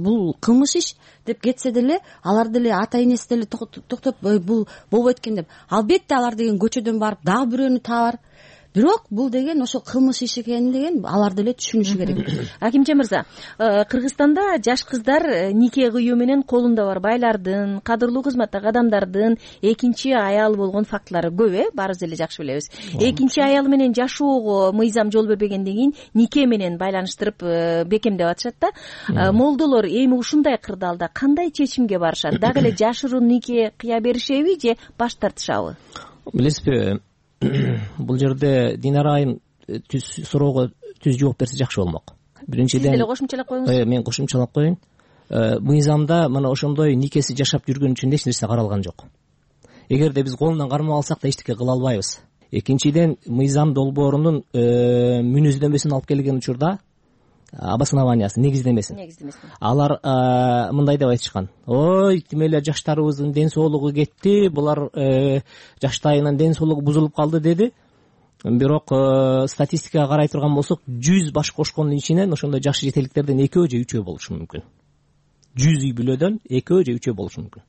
бул кылмыш иш деп кетсе деле, алар деле ата-энеси деле токтоп, бул болбойт экен деп, албетте алар деген көчөдөн барып дагы бирөөнү табар. Бирок бул деген ошо кылмыш иш экенин деген алар деле түшүнүшү керек. Акимжан мырза, Кыргызстанда жаш кыздар нике кыюу менен колунда бар байлардын, кадырлуу кызматтагы адамдардын экинчи аялы болгон фактылары көп, баарыбыз эле жакшы билебиз. Экинчи аялы менен жашоого мыйзам жол бербегенден кийин нике менен байланыштырып бекемдеп атышат да. Молдолор эми ушундай кырдаалда кандай чечимге барышат? Дагы эле жашыруун нике кыя беришеби же баш тартышабы? Билесизби, бул жерде Динара айым суроого түз жооп берсе жакшы болмок. Биринчиден, сиз деле кошумчалап коюңуз. Мен кошумчалап коеюн. Мыйзамда мына ошондой никеси жашап жүргөн үчүн эч нерсе каралган жок. Эгерде биз колунан кармап алсак да эчтеке кыла албайбыз. Экинчиден, мыйзам долбоорунун мүнөздөмөсүн алып келген учурда обоснованиясы, негиздемесин. Алар мындай деп айтышкан. Ой, тим эле жаштарыбыздын ден соолугу кетти, булар жаштайынан ден соолугу бузулуп калды деди. Бирок статистикага карай турган болсок, 100 баш кошкондун ичинен ошондой жашы жетеликтерден 2 же 3 болушу мүмкүн. 100 үй бүлөдөн 2 же 3 болушу мүмкүн.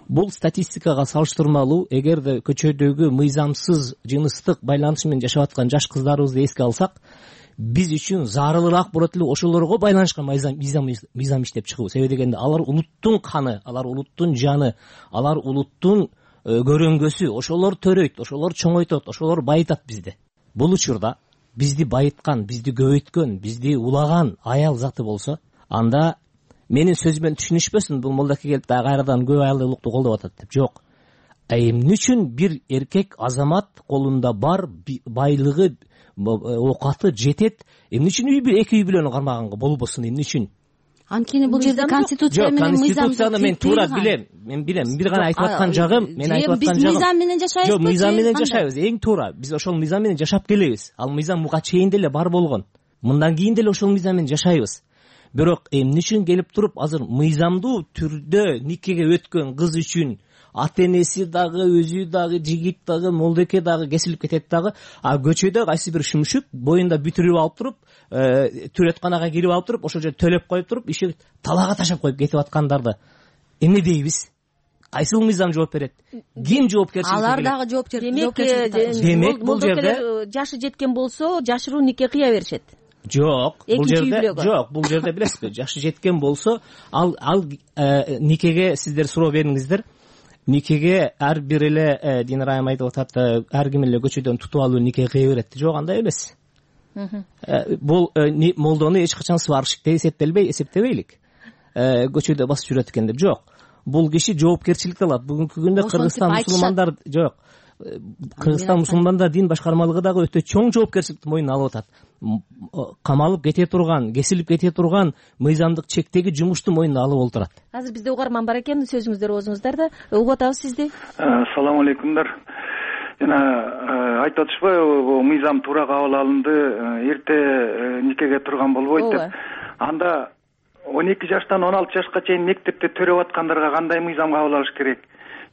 Бул статистикага салыштырмалуу, эгерде көчөдөгү мыйзамсыз жыныстык байланыш менен жашап аткан жаш кыздарыбызды эске алсак, биз үчүн зарылыраак болот эле ошолорго байланышкан мыйзам иштеп чыгуу. Себеби дегенде алар улуттун каны, алар улуттун жаны, алар улуттун көрөңгөсү, ошолор төрөйт, ошолор чоңойтот, ошолор байытат бизди. Бул учурда бизди байыткан, бизди көбөйткөн, бизди улаган аял заты болсо, анда менин сөзүмөн түшүнүшпөсүн, бул молдаке келип дагы кайрадан көп аялдуулукту колдоп атат деп. Жок. Эмне үчүн бир эркек азамат колунда бар байлыгы, оокаты жетет, эмне үчүн эки үй бүлөнү кармаганга болбосун, эмне үчүн? Анткени бул жерде конституция менен мыйзам. Конституцияны мен туура билем. Мен бир гана айтып аткан жагым, биз мыйзам менен жашайбызбы? Жок, мыйзам менен жашайбыз. Эң туура. Биз ошол мыйзам менен жашап келебиз. Ал мыйзам буга чейин деле бар болгон. Мындан кийин деле ошол мыйзам менен жашайбыз. Бирок эмне үчүн келип туруп азыр мыйзамдуу түрдө никеге өткөн кыз үчүн ата-энеси дагы, өзү дагы, жигит дагы, молдеке дагы кесилип кетет дагы, а көчөдө кайсы бир шүмшүк боюнда бүтүрүп алып туруп, түрөтканага кирип алып туруп, ошол жерде төлөп коюп туруп, иши талаага ташап коюп кетип аткандарды эмне дейбиз? Кайсыл мыйзам жооп берет? Ким жоопкерчилик? Алар дагы жоопкерчилик. Демек бул жерде жашы жеткен болсо, жашыруун нике кыя беришет. Жок, бул жерде билесизби, жашы жеткен болсо, ал никеге сиздер суроо бериңиздер. никеге ар бир эле Динар айым айтып атат, ар ким эле көчөдөн тутуп алып нике кыя берет. Жок, андай эмес. Бул молдону эч качан сварщик деп эсептебейлик. Көчөдө басып жүрөт экен деп. Жок. Бул киши жоопкерчиликти алат. Бүгүнкү күндө Кыргызстан мусулмандар жок. Кыргызстан мусулмандар дин башкармалыгы дагы өтө чоң жоопкерчиликти мойнуна алып атат. Камалып кете турган, кесилип кете турган мыйзамдык чектеги жумушту мойнуна алып олтурат. Азыр бизде угарман бар экен, сөзүңүздөр оозуңуздар да. Угуп атабыз сизди. Ассаламу алейкумдар. Жана айтып атышпайбы, мыйзам туура кабыл алынды, эрте никеге турган болбойт деп. Анда 12 жаштан 16 жашка чейин мектепте төрөп аткандарга кандай мыйзам кабыл алыш керек?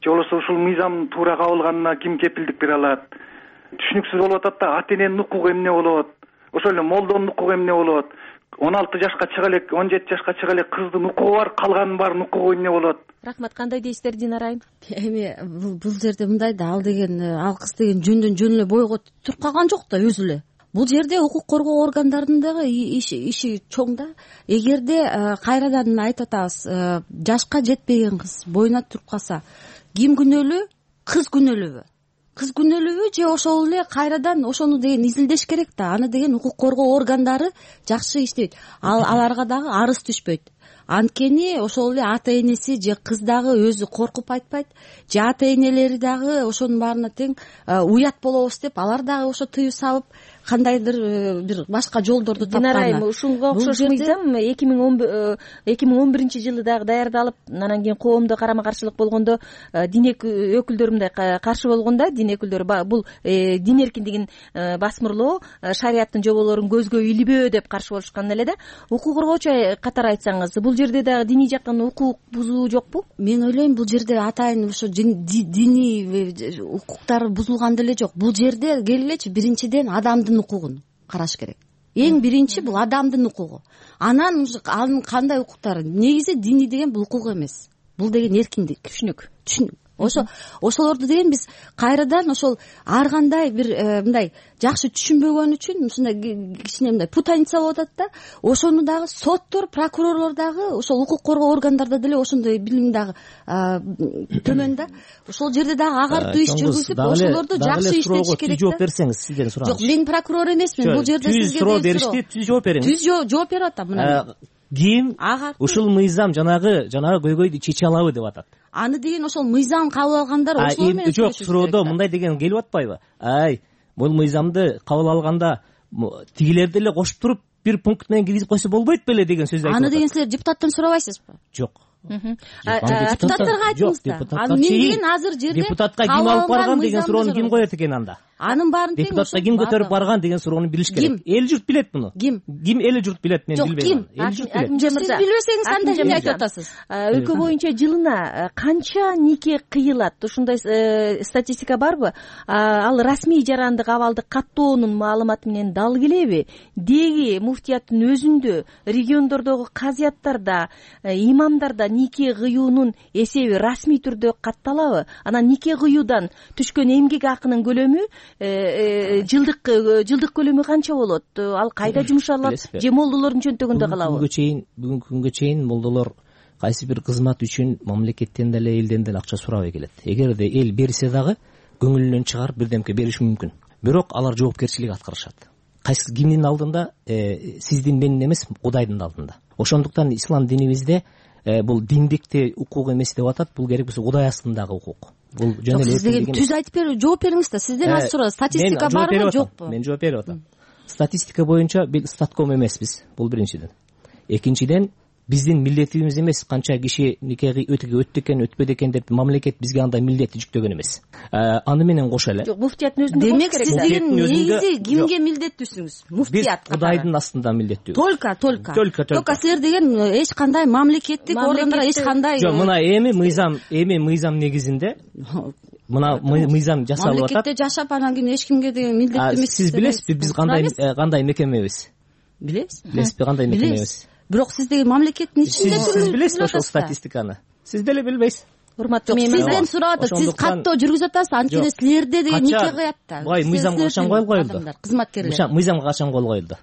Же болбосо ушул мыйзам туура кабылганына ким кепилдик бере алат? Түшүнүксүз болуп атат да, ата эненин укугу эмне болот? Ошол эле молдонун укугу эмне болот? 16 жашка чыга элек, 17 жашка чыга элек кыздын укугу бар, калганын баарын укугу эмне болот? Рахмат, кандай дейсиздер Динар айым? Эми бул жерде мындай да, ал кыз деген жөндөн жөн эле бойго туруп калган жок да өзү эле. Бул жерде укук коргоо органдарынын дагы иши чоң да. Эгерде кайрадан айтып атабыз, жашка жетпеген кыз боюна туруп калса, ким күнөөлүү? Кыз күнөөлүүбү? Кыз күнөөлүүбү же ошол эле кайрадан ошону деген изилдеш керек да. Аны деген укук коргоо органдары жакшы иштейт. Аларга дагы арыз түшпөйт. Анткени ошол эле ата энеси же кыз дагы өзү коркуп айтпайт, же ата энелери дагы ошонун баарына тең уят болобуз деп алар дагы ошо тыюу салып кандайдыр бир башка жолдорду тапкан. Динар айым, ушунга окшош мыйзам 2011-жылы дагы даярдалып, анан кийин коомдо карама-каршылык болгондо дин өкүлдөрү мындай каршы болгондо, дин өкүлдөрү бул дин эркиндигин басмырлоо, шариаттын жоболорун көзгө илбөө деп каршы болушкан эле да. Укук коргоочу катары айтсаңыз, бул жерде дагы диний жактан укук бузуу жокпу? Мен ойлойм, бул жерде атайын ошо диний укуктар бузулган деле жок. Бул жерде келгилечи, биринчиден адамдын укугун караш керек. Эң биринчи бул адамдын укугу. Анан анын кандай укуктары? Негизи диний деген бул укук эмес. Бул деген эркиндик, түшүнүк. Ошолорду деген биз кайрадан ошол ар кандай бир мындай жакшы түшүнбөгөн үчүн ушундай кичине мындай путаница болуп атат да. Ошону дагы соттор, прокурорлор дагы ошол укук коргоо органдарда деле ошондой билим дагы төмөн да. Ошол жерде дагы агартуу иш жүргүзүп, ошолорду жакшы иштетиш керек да. Жооп берсеңиз, сизден сураңыз. Жок, мен прокурор эмесмин. Бул жерде сизге суроо беришти, түз жооп бериңиз. Түз жооп берип атам мына. Ким ушул мыйзам жанагы көйгөйдү чече алабы деп атат. Аны деген ошол мыйзам кабыл алгандар ошол менен жок, суроодо мындай деген келип атпайбы? Бул мыйзамды кабыл алганда тигилерди эле кошуп туруп бир пункт менен киргизип койсо болбойт беле деген сөз айтып атат. Аны деген силер депутаттан сурабайсызбы? Жок. Депутаттарга айтыңыз да. Мен деген азыр жерде депутатка ким алып барган деген суроону ким коет экен анда? Анын баарын тең депутатка ким көтөрүп барган деген суроону билиш керек. Эл журт билет муну. Ким эл журт билет, мен билбейм. Эл журт билет. Сиз билбесеңиз анда эмне айтып атасыз? Өлкө боюнча жылына канча нике кыйылат? Ушундай статистика барбы? Ал расмий жарандык абалды каттоонун маалыматы менен дал келеби? Деги муфтияттын өзүндө, региондордогу казияттарда, имамдарда нике кыюунун эсеби расмий түрдө катталабы? Анан нике кыюудан түшкөн эмгек акынын көлөмү жылдык көлөмү канча болот? Ал кайда жумшалат? Же молдолордун чөнтөгүндө калабы? Бүгүнкү күнгө чейин молдолор кайсы бир кызмат үчүн мамлекеттен деле элден деле акча сурабай келет. Эгерде эл берсе дагы көңүлүнөн чыгарып бирдемке бериши мүмкүн. Бирок алар жоопкерчилик аткарышат. Кайсы кимдин алдында? Сиздин, менин эмес, Кудайдын алдында. Ошондуктан ислам динибизде бул диндикти укук эмес деп атат. Бул керек болсо Кудай астындагы укук. Бул жөн эле сизден түз айтып берип жооп бериңиз да. Сизден азыр сурат, статистика барбы, жокпу? Мен жооп берип атам. Статистика боюнча бил статком эмеспиз. Бул биринчиден. Экинчиден, биздин милдетибиз эмес канча киши никеги өттү экен, өтпөдү экен деп мамлекет бизге андай милдетти жүктөгөн эмес. Аны менен кошо эле. Жок, муфтияттын өзүндө демек сиз деген негизи кимге милдеттүүсүңүз? Муфтият. Биз Кудайдын астында милдеттүүбүз. Только силер деген эч кандай мамлекеттик органдарга эч кандай. Жок, мына эми мыйзам негизинде мына мыйзам жасалып атат. Мамлекетте жашап анан кийин эч кимге деген милдеттүү эмес. Сиз билесизби биз кандай мекемебиз? Билесизби кандай мекемебиз? Бирок сиз деген мамлекеттин ичинде сиз билесизби ошол статистиканы? Сиз деле билбейсиз. Урматтуу мейман, сизден сурап атат. Сиз каттоо жүргүзүп атасыз, анткени силерде деген нике кыят да. Мыйзамга качан кол коюлду? Кызматкерлер. Мыйзамга качан кол коюлду?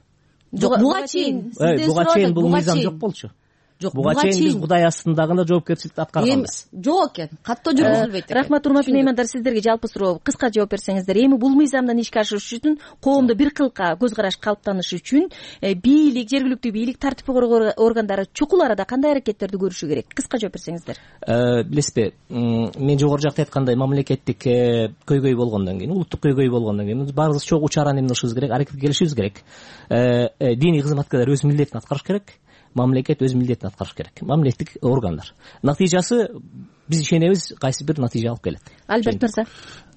Жок, буга чейин. Буга чейин бул мыйзам жок болчу. жок буга чейин биз Кудай астындагы да жоопкерчиликти аткарганбыз. Жок экен, каттоо жүргүзүлбөйт экен. Рахмат, урматтуу меймандар, сиздерге жалпы суроо, кыска жооп берсеңиздер. Эми бул мыйзамдан ишке ашыш үчүн, коомдо бир кылка көз караш калыптаныш үчүн бийлик, жергиликтүү бийлик, тартип коргоо органдары чукул арада кандай аракеттерди көрүшү керек? Кыска жооп берсеңиздер. Билесизби, мен жогору жакта айткандай, мамлекеттик көйгөй болгондон кийин, улуттук көйгөй болгондон кийин биз баарыбыз чогуу чараны эмне кылышыбыз керек, аракетке келишибиз керек. Диний кызматкерлер өз милдетин аткарыш керек, мамлекет өз милдетин аткарыш керек, мамлекеттик органдар. Натыйжасы биз ишенебиз кайсы бир натыйжа алып келет. Альберт мырза.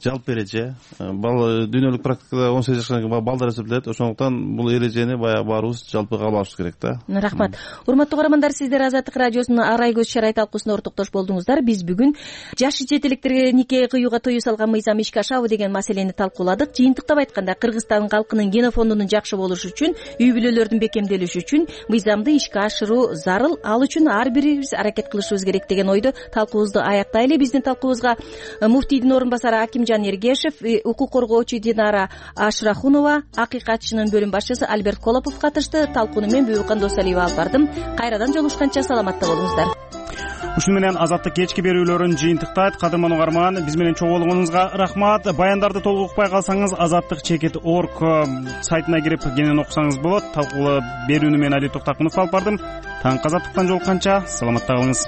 Жалпы эреже дүйнөлүк практикада 18 жашка чейинки балдар эсептелет. Ошондуктан бул эрежени баягы баарыбыз жалпы кабыл алышыбыз керек да. Рахмат. Урматтуу каармандар, сиздер Азаттык радиосунун арай көз чарай талкуусуна ортоктош болдуңуздар. Биз бүгүн жашы жет электерге нике кыюуга тыюу салган мыйзам ишке ашабы деген маселени талкууладык. Жыйынтыктап айтканда, Кыргызстан калкынын генофондунун жакшы болушу үчүн, үй бүлөлөрдүн бекемделиши үчүн мыйзамды ишке ашыруу зарыл. Ал үчүн ар бирибиз аракет кылышыбыз керек деген ойдо талкуубузду аяктайлы. Биздин талкуубузга муфтийдин орун басары Акимжан Эргешев, укук коргоочу Динара Ашрахунова, акыйкатчынын бөлүм башчысы Альберт Колопов катышты. Талкууну мен Бүбүкан Досалиева алып бардым. Кайрадан жолугушканча саламатта болуңуздар. Ушуну менен азаттык кечки берүүлөрүн жыйынтыктайт. Кадырман угарман, биз менен чогуу болгонуңузга рахмат. Баяндарды толук укпай калсаңыз, azattik.org сайтына кирип кенен окусаңыз болот. Талкуу берүүнү мен Али Токтакунов алып бардым. Таң азаттыктан жолукканча саламатта калыңыз.